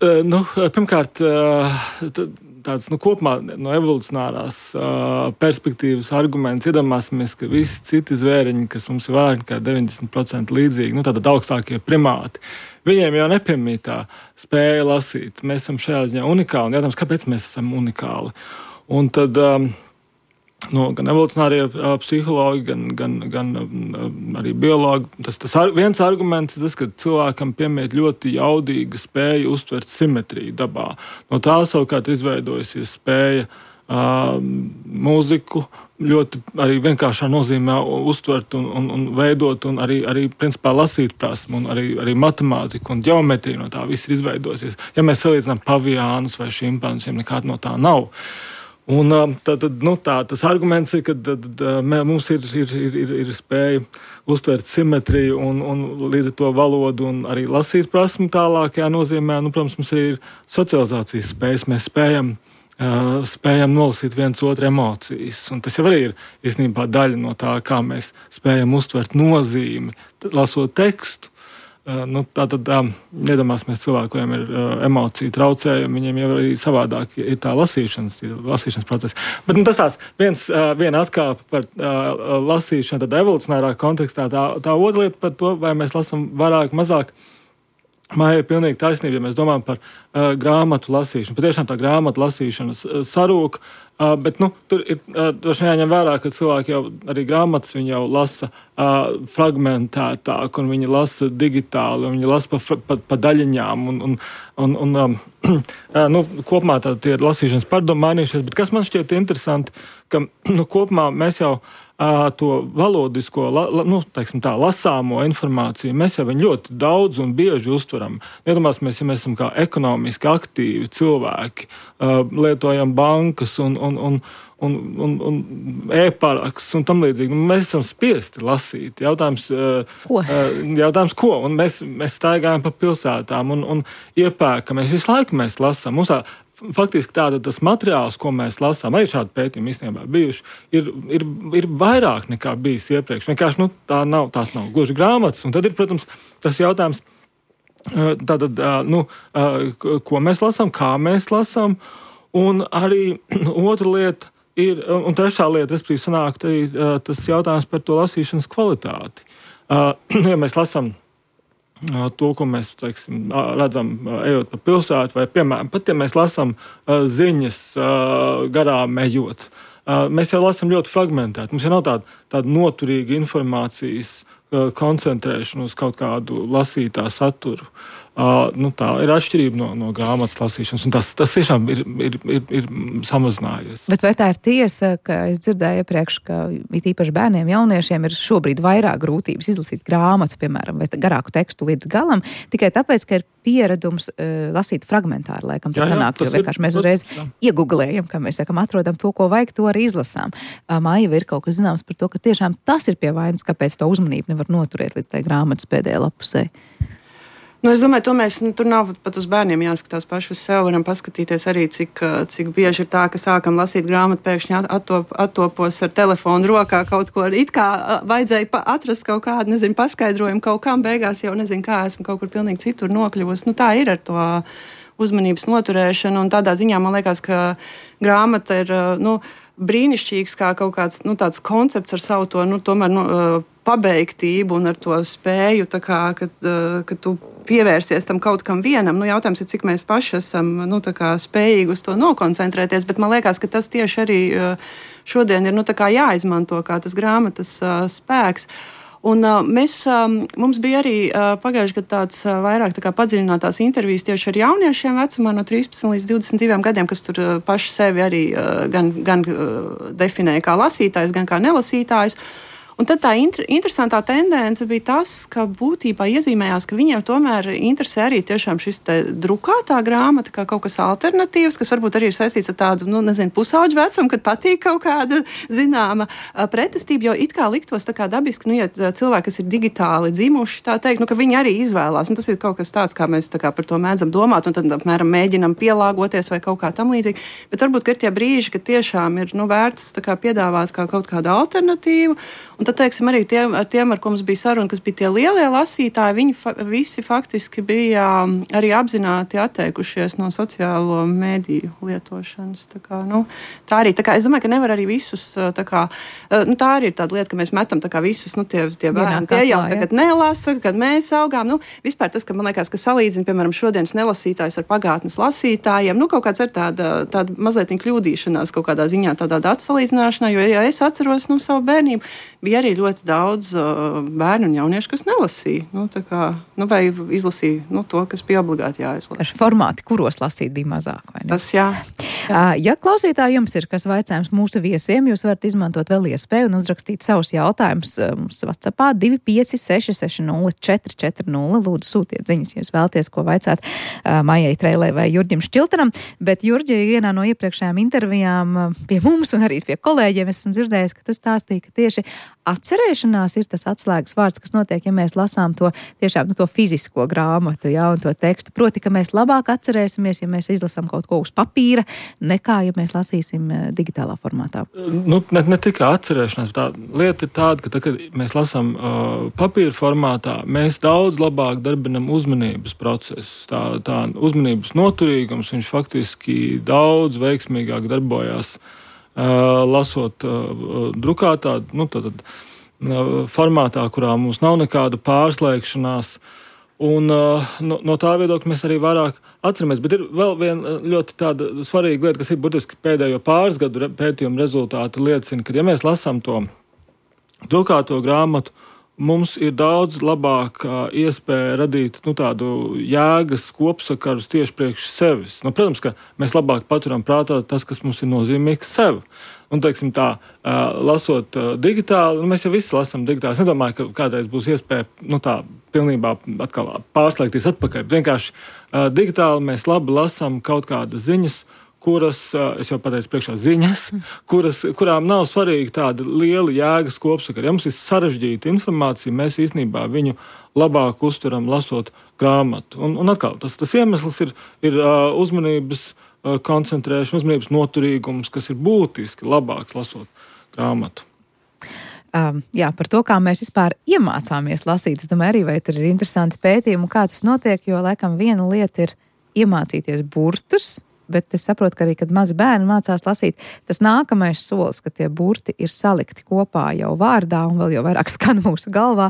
Uh, nu, pirmkārt, uh, tāds, nu, kopumā no evolucionārās uh, perspektīvas arguments. Iedomāsimies, ka visi citi zvēriņi, kas mums ir vairāk nekā deviņdesmit procenti līdzīgi, nu, tātad augstākie primāti, viņiem jau nepiemītā spēja lasīt. Mēs esam šajā ziņā unikāli, un jautājums, kāpēc mēs esam unikāli? Un tad um, no, gan evolucionārie uh, psihologi, gan, gan, gan uh, arī biologi. Tas, tas ar, viens arguments ir tas, ka cilvēkam piemīt ļoti jaudīga spēja uztvert simetriju dabā. No tā savukārt izveidojusies spēja uh, mūziku ļoti arī vienkāršā nozīmē uztvert un, un, un veidot, un arī, arī principā lasīt prasmu, un arī, arī matemātiku un ģeometriju no tā viss ir izveidojusies. Ja mēs salīdzinām paviānus vai šimpanziem, nekāda no tā nav. Un, tā, tad, nu, tā, tas arguments ir, ka tad, mums ir, ir, ir, ir spēja uztvert simetriju un, un līdz ar to valodu un arī lasīt prasmi tālākajā nozīmē. Nu, protams, mums ir socializācijas spējas. Mēs spējam, uh, spējam nolasīt viens otru emocijas. Un tas jau arī ir īstenībā daļa no tā, kā mēs spējam uztvert nozīmi, lasot tekstu. Uh, nu, Tātad tā, iedomāsimies cilvēku, kuriem ir uh, emociju traucējumi, viņiem jau arī savādāk ir tā lasīšanas, lasīšanas process. Bet nu, tas tās viens, uh, viena atkāpe par uh, lasīšanu, tad evolucionārā kontekstā, tā, tā otra lieta par to, vai mēs lasām vairāk, mazāk. Māja ir pilnīgi taisnība, ja mēs domājam par uh, grāmatu lasīšanu. Patiešām tā grāmatu lasīšana uh, sarūk, uh, bet nu, tur ir uh, jāņem vērā, ka cilvēki jau arī grāmatas viņi jau lasa uh, fragmentētāk, un viņi lasa digitāli, un viņi lasa pa, pa, pa daļiņām. Un, un, un, un, um, uh, nu, kopumā tā, tie lasīšanas pārdomi mainījušies, bet kas man šķiet interesanti, ka nu, kopumā mēs jau Uh, to valodisko, la, la, nu, teiksim tā, lasāmo informāciju, mēs jau viņu ļoti daudz un bieži uztveram. Iedomāsimies, ja mēs esam kā ekonomiski aktīvi cilvēki, uh, lietojam bankas un, un, un, un, un, un e-paraks un tam līdzīgi. Nu, mēs esam spiesti lasīt. Jautājums, uh, ko? Uh, jautājums, ko? Un mēs, mēs staigājam pa pilsētām un, un iepērkamies. Visu laiku mēs lasām. Mums tā, faktiski tāda tas materiāls, ko mēs lasām, arī šādi pētījumi īstenībā bijuši, ir, ir, ir vairāk nekā bijis iepriekš. Vienkārši nu, tā nav, tās nav gluži grāmatas. Un tad ir, protams, tas jautājums, tātad, nu, ko mēs lasām, kā mēs lasām. Un arī otra lieta ir, un trešā lieta, respektīvi, sanāk arī tas jautājums par to lasīšanas kvalitāti. Ja mēs lasām to, ko mēs teiksim, redzam, ejot pa pilsētu, vai, piemēram, pat ja mēs lasām ziņas garām ejot, mēs jau lasām ļoti fragmentēti. Mums jau nav tāda, tāda noturīga informācijas koncentrēšana uz kaut kādu lasītā saturu. Uh, nu, tā ir atšķirība no, no grāmatas lasīšanas, un tas, tas tiešām ir, ir, ir, ir samazinājies. Bet vai tā ir tiesa, ka es dzirdēju iepriekš, ka it īpaši bērniem, jauniešiem ir šobrīd vairāk grūtības izlasīt grāmatu, piemēram, vai garāku tekstu līdz galam, tikai tāpēc, ka ir pieredums uh, lasīt fragmentāri, laikam, tad jā, sanāk, jo vienkārši mēs uzreiz ieguglējam, kā mēs sakam, atrodam to, ko vajag, to arī izlasām. Uh, Māja, ir kaut kas zināms par to, ka tiešām tas ir pie vainas, kāpēc to uzmanību nevar noturēt līdz tai grāmatas pēdējā lapusē. Nu, es domāju, to mēs, nu, tur nav pat uz bērniem jāskatās paši uz sevi. Varam paskatīties arī, cik, cik bieži ir tā, ka sākam lasīt grāmatu, pēkšņi attop, attopos ar telefonu rokā kaut ko. It kā vajadzēja atrast kaut kādu, nezinu, paskaidrojumu kaut kam, beigās jau nezinu, kā esmu kaut kur pilnīgi citur nokļuvusi. Nu, tā ir ar to uzmanības noturēšanu, un tādā ziņā man liekas, ka grāmata ir, nu, brīnišķīgs kā kaut kāds, nu, tāds koncepts ar savu to, nu, tomēr, nu, pabeigtību un ar to spēju, tā kā, kad, kad tu pievērsies tam kaut kam vienam. Nu, jautājums ir, cik mēs paši esam, nu, tā kā spējīgi uz to nokoncentrēties, bet man liekas, ka tas tieši arī šodien ir, nu, tā kā jāizmanto kā tas grāmatas spēks. Un uh, mēs, um, mums bija arī uh, pagājuši gadu tāds uh, vairāk tā kā padziļinātās intervijas tieši ar jauniešiem vecumā no trīspadsmit līdz divdesmit diviem gadiem, kas tur uh, paši sevi arī uh, gan, gan uh, definēja kā lasītājs, gan kā nelasītājs. Un tad tā inter, interesantā tendence bija tas, ka būtībā iezīmējās, ka viņiem tomēr interesē arī tiešām šis te drukātā grāmata, kā kaut kas alternatīvs, kas varbūt arī ir saistīts ar tādu, nu, nezinu, pusauģu vecumu, kad patīk kaut kāda zināma pretestība, jo it kā liktos tā kā dabiski, nu, ja cilvēki, kas ir digitāli dzimuši, tā teikt, nu, ka viņi arī izvēlās. Un tas ir kaut kas tāds, kā mēs tā kā par to mēdzam domāt, un tad, apmēram, mēģinam pielāgoties vai kaut kā tam līdzīgi. Bet varbūt, ka ir tie brīži, ka tiešām ir, nu, vērts tā kā piedāvāt kā kaut kādu alternatīvu. Un tad, teiksim, arī tiem, tiem, ar ko mums bija saruna, kas bija tie lielie lasītāji, viņi fa- visi faktiski bija arī apzināti atteikušies no sociālo mediju lietošanas. Tā, kā, nu, tā arī, tā kā, es domāju, ka nevar arī visus, tā kā, nu, tā arī ir tāda lieta, ka mēs metam tā kā visus, nu, tie, tie bērni, tie jau tagad nelasa, kad mēs augām. Nu, vispār tas, ka man liekas, ka salīdzina, piemēram, šodienas nelasītājs ar pagātnes lasītājiem, nu, kaut kāds ir tāda, tāda mazliet kļūdīšanās kaut kādā ziņā, tādā atsalīdzināšanā, jo, ja es atceros, nu, savu bērnību, bija arī ļoti daudz uh, bērnu un jauniešu, kas nelasīja, nu, tā kā, nu, vai izlasīja, nu, to, kas bija obligāti jāizlasa. Ar formāti, kuros lasīt bija mazāk, vai ne? Tas, jā. jā. Ja klausītāji jums ir kas vaicājums mūsu viesiem, jūs varat izmantot vēl iespēju un uzrakstīt savus jautājumus mums WhatsAppā divi pieci seši seši nulle četri četri nulle. Lūdzu, sūtiet ziņas, ja jūs vēlaties, ko vaicāt uh, Maijai Treilei vai Jurģim Šķiltenam. Bet, Jurģi, vienā no iepriekšējām intervijām pie mums un arī pie kolēģiem esmu dzirdējis, ka tu stāstīji, ka tieši atcerēšanās ir tas atslēgas vārds, kas notiek, ja mēs lasām to tiešām nu, to fizisko grāmatu, jā, un to tekstu. Proti, ka mēs labāk atcerēsimies, ja mēs izlasām kaut ko uz papīra, nekā, ja mēs lasīsim digitālā formātā. Nu, ne, ne tikai atcerēšanās, tā lieta ir tāda, ka, tā, kad mēs lasām uh, papīra formātā, mēs daudz labāk darbinam uzmanības procesu. Tā, tā uzmanības noturīgums, viņš faktiski daudz veiksmīgāk darbojās Uh, lasot uh, drukātā, nu, tātad, uh, formātā, kurā mums nav nekāda pārslēgšanās. Un, uh, no, no tā viedokļa mēs arī vairāk atceramies. Bet ir vēl viena ļoti tāda svarīga lieta, kas ir burtiski pēdējo pāris gadu re, pētījumu rezultāti liecina, ka, ja mēs lasām to drukāto grāmatu, mums ir daudz labāka iespēja radīt nu, tādu jēgas kopsakarus tieši priekš sevis. Nu, protams, ka mēs labāk paturam prātā tas, kas mums ir nozīmīgs sev. Un, teiksim tā, lasot digitāli, nu, mēs jau visi lasām digitāli. Es nedomāju, ka kādreiz būs iespēja nu, tā pilnībā atkal pārslēgties atpakaļ. Vienkārši digitāli mēs labi lasām kaut kādas ziņas, kuras, es jau pateicu priekšā, ziņas, kuras, kurām nav svarīgi tāda liela jēgas kopsakara. Ja mums ir sarežģīta informācija, mēs īstenībā viņu labāk uztveram lasot grāmatu. Un, un atkal, tas, tas iemesls ir, ir uh, uzmanības uh, koncentrēšana, uzmanības noturīgums, kas ir būtiski labāks lasot grāmatu. Um, jā, par to, kā mēs vispār iemācāmies lasīt. Es domāju, arī vai tur ir interesanti pētījumi, kā tas notiek, jo, laikam, viena lieta ir iemācīties burtus, bet es saprotu, ka arī, kad mazi bērni mācās lasīt, tas nākamais solis, ka tie burti ir salikti kopā jau vārdā un vēl jau vairāk skan mūsu galvā,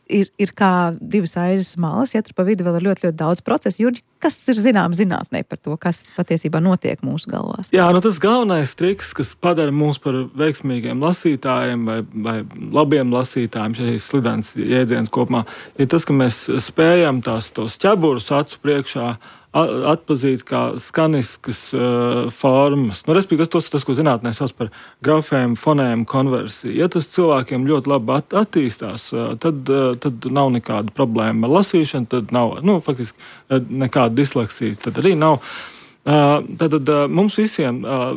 ir, ir kā divas aizes malas, ja tur pa vidu vēl ir ļoti, ļoti daudz procesu. Jurģi, kas ir zinām zinātnē par to, kas patiesībā notiek mūsu galvās? Jā, nu tas galvenais triks, kas padara mūs par veiksmīgiem lasītājiem vai, vai labiem lasītājiem, šeit slidens jēdziens kopumā, ir tas, ka mēs spējam tās tos ķeburus acu priekšā atpazīt kā skaniskas uh, formas. Nu, respektīvi, tas, tas, ko zinātnē sauc par grafēmu, fonēmu konversiju. Ja tas cilvēkiem ļoti labi at, attīstās, uh, tad, uh, tad nav nekāda problēma ar lasīšanu, tad nav, nu, faktiski uh, nekāda disleksija, tad arī nav. Uh, tad, tad uh, mums visiem uh,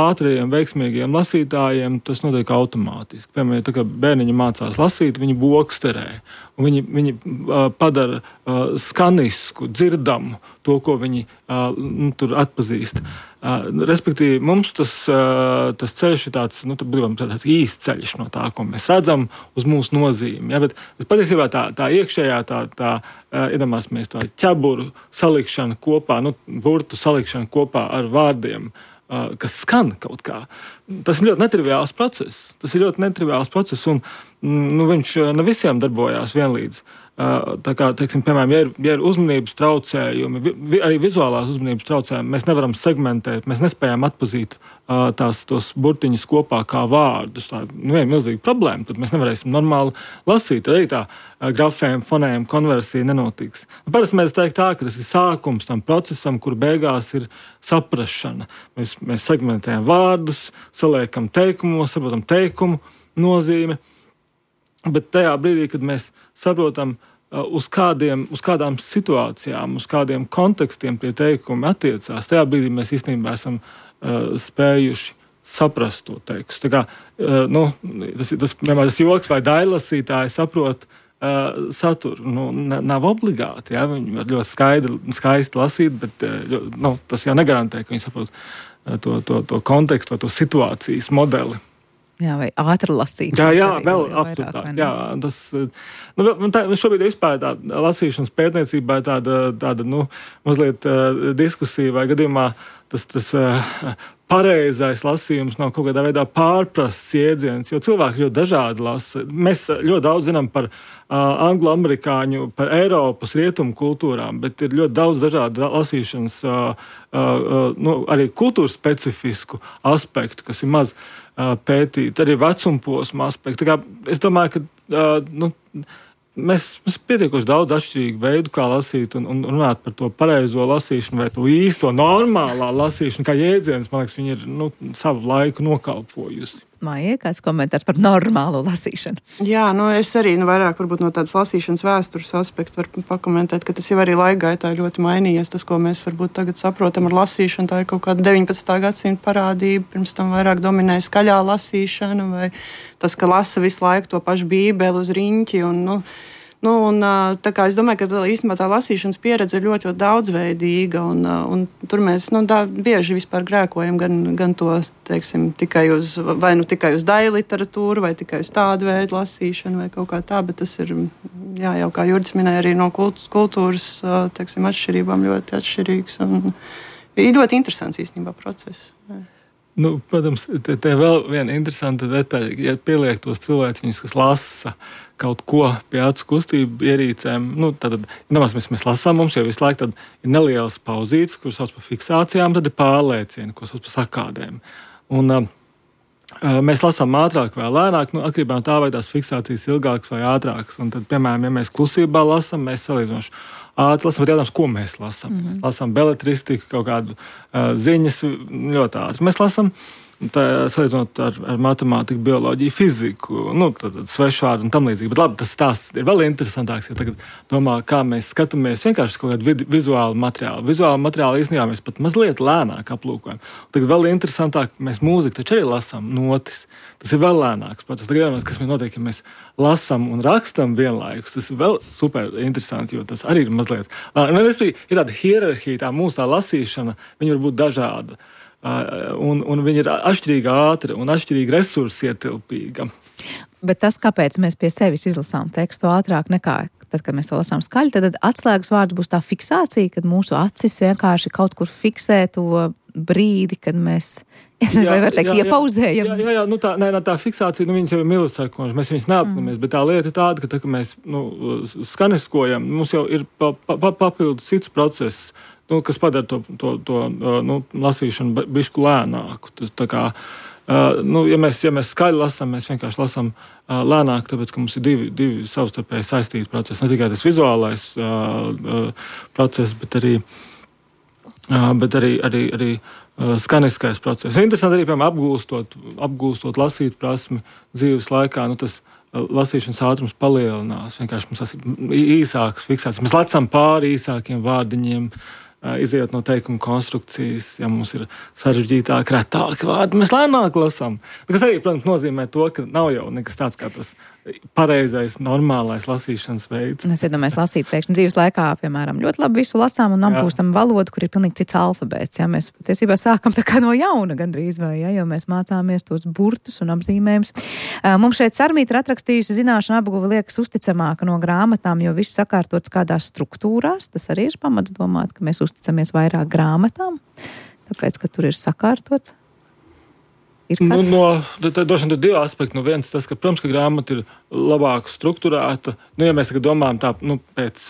ātriem, veiksmīgiem lasītājiem tas notiek automātiski. Piemēram, ja tā kā bērniņi mācās lasīt, viņi boksterē. Viņi, viņi uh, padara uh, skanisku, dzirdamu to, ko viņi uh, nu, tur atpazīst. Uh, respektīvi, mums tas, uh, tas ceļš ir tāds, nu, tāds īsts ceļš no tā, ko mēs redzam uz mūsu nozīmi. Ja? Bet, bet patiesībā tā, tā iekšējā, tā, tā uh, iedomāsimies tā ķeburu salikšana kopā, nu, burtu salikšana kopā ar vārdiem, uh, kas skan kaut kā. Tas ir ļoti netriviāls process. Tas ir ļoti netriviāls process, un nu, viņš ne visiem darbojās vienlīdz. Tā kā, teiksim, piemēram, ja ir, ja ir uzmanības traucējumi, vi, arī vizuālās uzmanības traucējumi, mēs nevaram segmentēt, mēs nespējam atpazīt tās, tos burtiņus kopā kā vārdus. Tā nu, ir milzīga problēma, tad mēs nevarēsim normāli lasīt. Arī tā grafēm, fonēm konversija nenotiks. Parasti mēs teikt tā, ka tas ir sākums tam procesam, kur beigās ir saprašana. Mēs, mēs segmentējam vārdus, saliekam teikumos, saprotam teikumu nozīmi. Bet tajā brīdī, kad mēs saprotam, uh, uz, kādiem, uz kādām situācijām, uz kādiem kontekstiem tie teikumi attiecās, tajā brīdī mēs īstenībā esam uh, spējuši saprast to tekstu. Tā kā, uh, nu, tas, tas, piemēram, tas joks vai dailasītāji saprot uh, saturu. Nu, nav obligāti, ja? Viņi var ļoti skaidri, skaisti lasīt, bet uh, nu, tas jau negarantē, ka viņi saprot uh, to, to, to kontekstu vai to situācijas modeli. Jā, vai ātri lasīt. Jā, jā, vēl absolūtāk. Jā, tas, nu, tā, šobrīd vispār tā lasīšanas pētniecībā ir tāda, tāda, nu, mazliet uh, diskusija vai gadījumā tas, tas uh, pareizais lasījums nav kaut kādā veidā pārprasts jēdziens, jo cilvēki ļoti dažādi lasa. Mēs ļoti daudz zinām par uh, anglo-amerikāņu, par Eiropas rietumu kultūrām, bet ir ļoti daudz dažādu lasīšanas, uh, uh, nu, arī kultūras specifisku aspektu, kas ir maz pētīt, arī vecumposma aspektu. Es domāju, ka uh, nu, mēs, mēs pietiekoši daudz atšķirīgu veidu, kā lasīt un, un runāt par to pareizo lasīšanu vai to īsto normālā lasīšanu, kā jēdziens, man liekas, viņi ir nu, savu laiku nokalpojusi. Maija, kāds komentārs par normālo lasīšanu? Jā, nu es arī nu, vairāk varbūt no tādas lasīšanas vēstures aspekta varu pakomentēt, ka tas jau arī laika gaitā ļoti mainījies. Tas, ko mēs varbūt tagad saprotam ar lasīšanu, tā ir kaut kāda deviņpadsmitā gadsimta parādība. Pirms tam vairāk dominēja skaļā lasīšana vai tas, ka lasa visu laiku to pašu bībeli uz riņķi un, nu, Nu, un, tā kā es domāju, ka īstenībā tā lasīšanas pieredze ir ļoti, ļoti daudzveidīga, un, un tur mēs nu, tā, bieži vispār grēkojam gan, gan to, teiksim, tikai uz, vai nu tikai uz daļu literatūru, vai tikai uz tādu veidu lasīšanu, vai kaut kā tā, bet tas ir, jā, jau kā Jurģis minēja, arī no kultūras, teiksim, atšķirībām ļoti atšķirīgs, un ir ļoti interesants īstenībā process. Nu, protams, te, te vēl viena interesanta detaļa, ja pieliek tos cilvēciņus, kas lasa kaut ko pie acu kustību ierīcēm, nu, tad, domās, mēs, mēs lasām, mums jau visu laiku tad ir nelielas pauzītes, kuras sauc par fiksācijām, tad ir pārliecieni, ko sauc par sakādēm. Un uh, mēs lasām ātrāk vai lēnāk, nu, atkarībā no tā, vai tās fiksācijas ilgākas vai ātrākas. Un tad, piemēram, ja mēs klusībā lasām, mēs salīdzinoši ātri lasām, bet jautājums, ko mēs lasām. Mm-hmm. Mēs lasām beletristiku, kaut kādu uh, ziņas ļoti ātri. Mēs lasām, tā, salīdzinot ar, ar matemātiku, bioloģiju, fiziku, nu, tad, tad svešvārdu un tam līdzīgi. Bet labi, tas stāsts ir vēl interesantāks, ja tagad domā, kā mēs skatāmies vienkārši kaut kādu vid- vizuālu materiālu. Vizuālu materiālu īstenībā mēs pat mazliet lēnāk aplūkojam. Tagad vēl interesantāk, mēs mūziku taču arī lasām notis. Tas ir vēl lēnāks process. Tagad jādomās, kas notiek, ja mēs lasām un rakstam vienlaikus. Tas ir vēl super interesanti, jo tas arī ir mazliet. Ir tāda hierarhija, tā mūsu tā lasīšana, viņa var būt dažāda. Un, un viņa ir atšķirīga ātra un atšķirīga resursu ietilpīga. Bet tas, kāpēc mēs pie sevis izlasām tekstu ātrāk nekā tad, kad mēs to lasām skaļi, tad atslēgas vārds būs tā fiksācija, kad mūsu acis vienkārši kaut kur fiksē to brīdi, kad mēs, jā, vai var teikt, jā, iepauzējam. Jā, jā, jā, nu tā, nē, tā fiksācija, nu viņas jau ir milisekundes, mēs viņas neapzināmies, mm. bet tā lieta ir tāda, ka tā, ka mēs nu, skaniskojam, mums jau ir pa, pa, papildus cits process, nu, kas padara to, to, to nu, lasīšanu bišku lēnāku. Tas, tā kā, uh, nu, ja, mēs, ja mēs skaļi lasām, mēs vienkārši lasām uh, lēnāk, tāpēc, ka mums ir divi, divi savstarpēji saistīti procesi. Ne tikai tas vizuālais uh, uh, process, bet arī, uh, bet arī, arī, arī uh, skaniskais process. Interesanti arī, piemēram, apgūstot, apgūstot lasīt prasmi dzīves laikā, nu, tas lasīšanas ātrums palielinās. Vienkārši mums tas ir īsāks fiksācijas. Mēs lasām pāri īsākiem vārdiņiem, izejot no teikuma konstrukcijas, ja mums ir sarežģītāk, retāki vārdi, mēs lēnāk lasām. Tas arī, protams, nozīmē to, ka nav jau nekas tāds kā tas pareizais, normālais lasīšanas veids. Es iedomājos lasīt pēkšņi dzīves laikā, piemēram, ļoti labi visu lasām un apgūstam valodu, kur ir pilnīgi cits alfabēts. Ja? Mēs patiesībā sākam tā kā no jauna gandrīz vai, ja? Jo mēs mācāmies tos burtus un apzīmējumus. Mums šeit Sarmīta ir atrakstījusi zināšanu apguve liekas uzticamāka no grāmatām, jo viss sakārtots kādās struktūrās. Tas arī ir pamats domāt, ka mēs uzticamies vairāk grāmatām, tāpēc, ka tur ir sakārtots. Ir nu, no, droši vien ir divi aspekti. Nu, viens tas, ka, protams, ka grāmata ir labāk strukturēta. Nu, ja mēs tagad domājam tā, nu, pēc,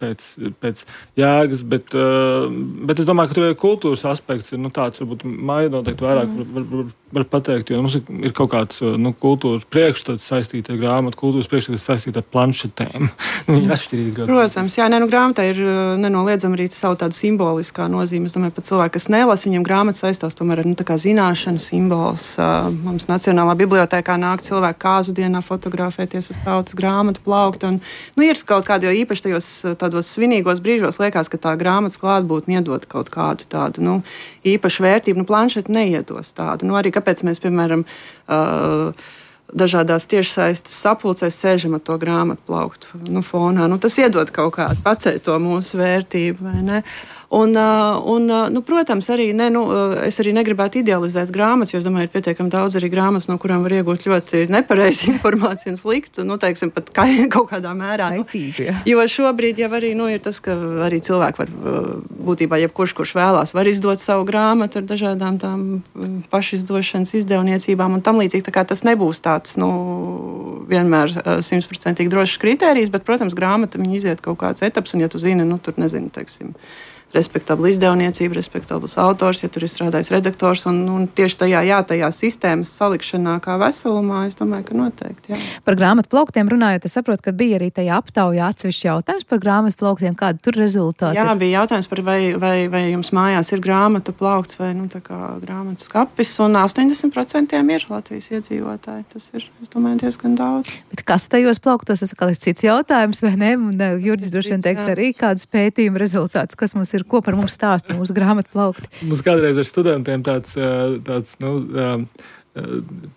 pēc, pēc jēgas, bet, bet es domāju, ka tur ir kultūras aspekts. Ir, nu, tāds, varbūt Maija noteikti vairāk var, var, var, var pateikt, jo mums ir kaut kāds nu, kultūras priekšstats saistīta ar grāmatu, kultūras priekšstats saistīta ar planšetēm. Viņi ir atšķirīgi. Protams, jā, ne, nu, grāmatā ir nenoliedzami arī savu tādu simboliskā nozīme. Es domāju, pat cilvēki, kas nelasa, viņiem grāmata saistās tomēr ar, nu, tā kā zināšanu simbols. Mums Nacionālā bibliotēkā nāk cilvēki kāzu dienā fotografēties uz tautas grāmatu plaukta. Un, nu, ir kaut kādi, jo īpaši tajos tādos svinīgos brīžos liekas, ka tā grāmatas klātbūtne iedod kaut kādu tādu, nu, īpašu vērtību. Nu, planšeti neiedos tādu. Nu, arī kāpēc mēs, piemēram, uh, dažādās tiešsaistes sapulcēs sēžam ar to grāmatu plauktu nu, fonā. Nu, tas iedod kaut kādu paceļ to mūsu vērtību, vai ne? Un, un, nu, protams, arī ne, nu, es arī negribētu idealizēt grāmatas, jo es domāju, ir pietiekami daudz arī grāmatas, no kurām var iegūt ļoti nepareizi informāciju un sliktu, nu, teiksim, pat kā, kaut kādā mērā. Kaitīga, nu, jo šobrīd jau arī nu, ir tas, ka arī cilvēki var, būtībā jebkurš, kurš vēlās, var izdot savu grāmatu ar dažādām tām pašizdošanas izdevniecībām un tam līdzīgi. Tā kā tas nebūs tāds, nu, vienmēr simtprocentīgi drošs kritērijs, bet, protams, grāmata viņi iziet kaut kāds etaps, un ja tu zini, nu, tur nezinu, teiksim, respektabla izdevniecība, respektabls autors, ja tur ir strādājis redaktors, un, un tieši tajā, jā, tajā sistēmas salikšanā kā veselumā, es domāju, ka noteikti, jā. Par grāmatu plauktiem runājot, es saprotu, ka bija arī tajā aptaujā atsevišķi jautājums par grāmatu plauktiem, kāda tur rezultāti? Jā, bija jautājums par vai, vai, vai jums mājās ir grāmatu plaukts vai, nu, tā kā grāmatu skapis, un astoņdesmit procenti ir Latvijas iedzīvotāji. Tas ir, es domāju, diezgan daudz. Bet kas tajos plauktos, tas atkal ir cits jautājums, vai ne? Un Jurģis droši vien teiks arī kādus pētījumu rezultātus, kas mums ir, ko par mums stāsta mūsu grāmatu plaukti. Mums kādreiz ar studentiem tāds, tāds nu,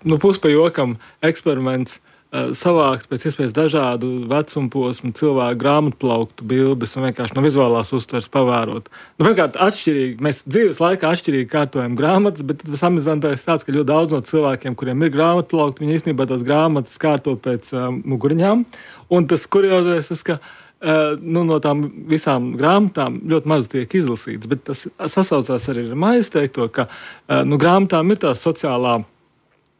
nu puspajokam eksperiments savākt pēc iespējas dažādu vecumu posmu cilvēku grāmatu plauktu bildes un vienkārši no vizuālās uztveres pavērot. Nu, vienkārši atšķirīgi, mēs dzīves laikā atšķirīgi kārtojam grāmatas, bet tas amizantais tāds, ka ļoti daudz no cilvēkiem, kuriem ir grāmatu plaukti, viņi īstenībā tās grāmatas kārto pēc uh, muguriņām. Un tas kuriozais, tas, ka uh, nu, no tām visām grāmatām ļoti maz tiek izlasīts, bet tas sasaucās arī ar Maijas teikto, ka uh, nu, grāmatām ir tā sociālā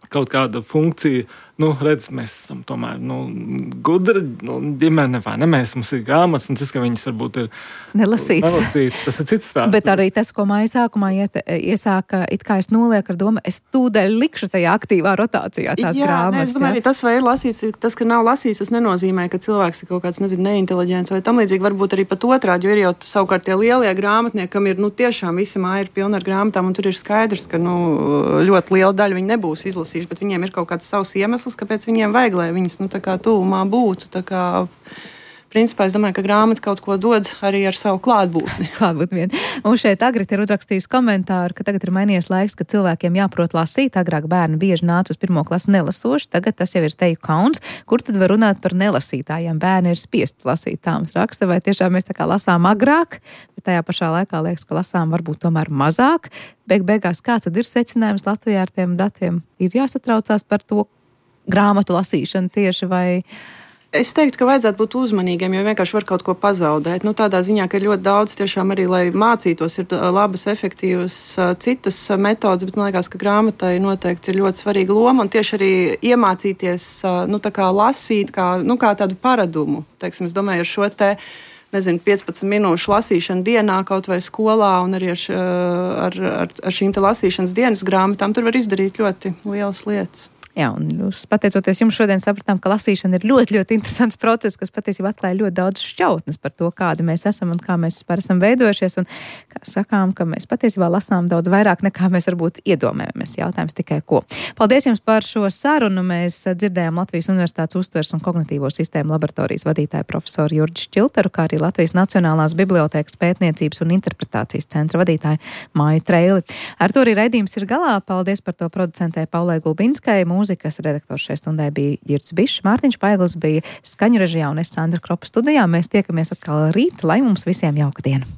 kaut kāda funkcija. Nu, redz, mēs esam tomēr nu, gudri nu, ģimene, vai ne? Mēs, mums ir grāmatas, un tas, ka viņas varbūt ir nelasīts. nelasīts tas ir cits stāsts. Bet arī tas, ko Maija sākumā iet, iesāka, it kā es nolieku ar domu, es tūdaļ likšu tajā aktīvā rotācijā tās jā, grāmatas. Ne, es domāju, arī tas, vai ir lasīts, tas, ka nav lasīts, tas nenozīmē, ka cilvēks ir kaut kāds, nezinu, neinteliģents vai tam līdzīgi, varbūt arī pat otrādi, jo ir jau savukārt tie lielie grāmatnieki, kam ir, nu, tiešām visi māja ir pilna ar grāmatām, un tur ir skaidrs, ka, nu, ļoti liela daļa viņi nebūs izlasījuši, bet viņiem ir kaut kāds savs iemesls, kāpēc viņiem vajag, lai viņas nu, tā kā tuvumā būtu. Tā kā, principā, es domāju, ka grāmata kaut ko dod arī ar savu klātbūtni. Klātbūtni vien. Un šeit Agrita ir uzrakstījis komentāru, ka tagad ir mainījies laiks, ka cilvēkiem jāprot lasīt. Agrāk bērni bieži nāca uz pirmo klasi nelasoši, tagad tas jau ir teju kauns. Kur tad var runāt par nelasītājiem? Bērni ir spiest lasīt, tā mums raksta, vai tiešām mēs tā kā lasām agrāk, bet tajā pašā laikā liekas, ka lasām varbūt tomēr mazāk. Beig beigās, kāds tad ir secinājums Latvijā ar tiem datiem? Ir jāsatraucās par to grāmatu lasīšanu tieši vai... Es teiktu, ka vajadzētu būt uzmanīgiem, jo vienkārši var kaut ko pazaudēt. Nu, tādā ziņā, ka ir ļoti daudz tiešām arī, lai mācītos, ir labas, efektīvas citas metodas, bet man liekas, ka grāmatai noteikti ir ļoti svarīga loma un tieši arī iemācīties, nu, tā kā lasīt, kā, nu, kā tādu paradumu. Teiksim, es domāju, ar šo te nezinu, piecpadsmit minūšu lasīšanu dienā kaut vai skolā un arī ar, ar, ar, ar šīm te lasīšanas dienas grāmatām, tur var izdarīt ļoti lielas lietas. Jā, un jūs, pateicoties jums šodien sapratām, ka lasīšana ir ļoti, ļoti interesants process, kas patiesībā atklāja ļoti daudz šķautnes par to, kādi mēs esam un kā mēs vispār esam veidojušies. Un kā sakām, ka mēs patiesībā lasām daudz vairāk nekā mēs varbūt iedomājamies. Jautājums tikai ko. Paldies jums par šo sarunu. Mēs dzirdējām Latvijas Universitātes uztveres un kognitīvo sistēmu laboratorijas vadītāju profesoru Jurģi Šķilteru, kā arī Latvijas Nacionālās bibliotēkas pētniecības un interpretācijas centra vadītāju Maiju Treili. Ar to arī raidījums ir galā. Paldies par to producentē Paulai Gulbinskai. Mūzikas redaktors šai stundai bija Girts Bišs, Mārtiņš Paigls bija skaņu režijā un es Sandra Kropa studijā. Mēs tiekamies atkal rīt, lai mums visiem jauka diena.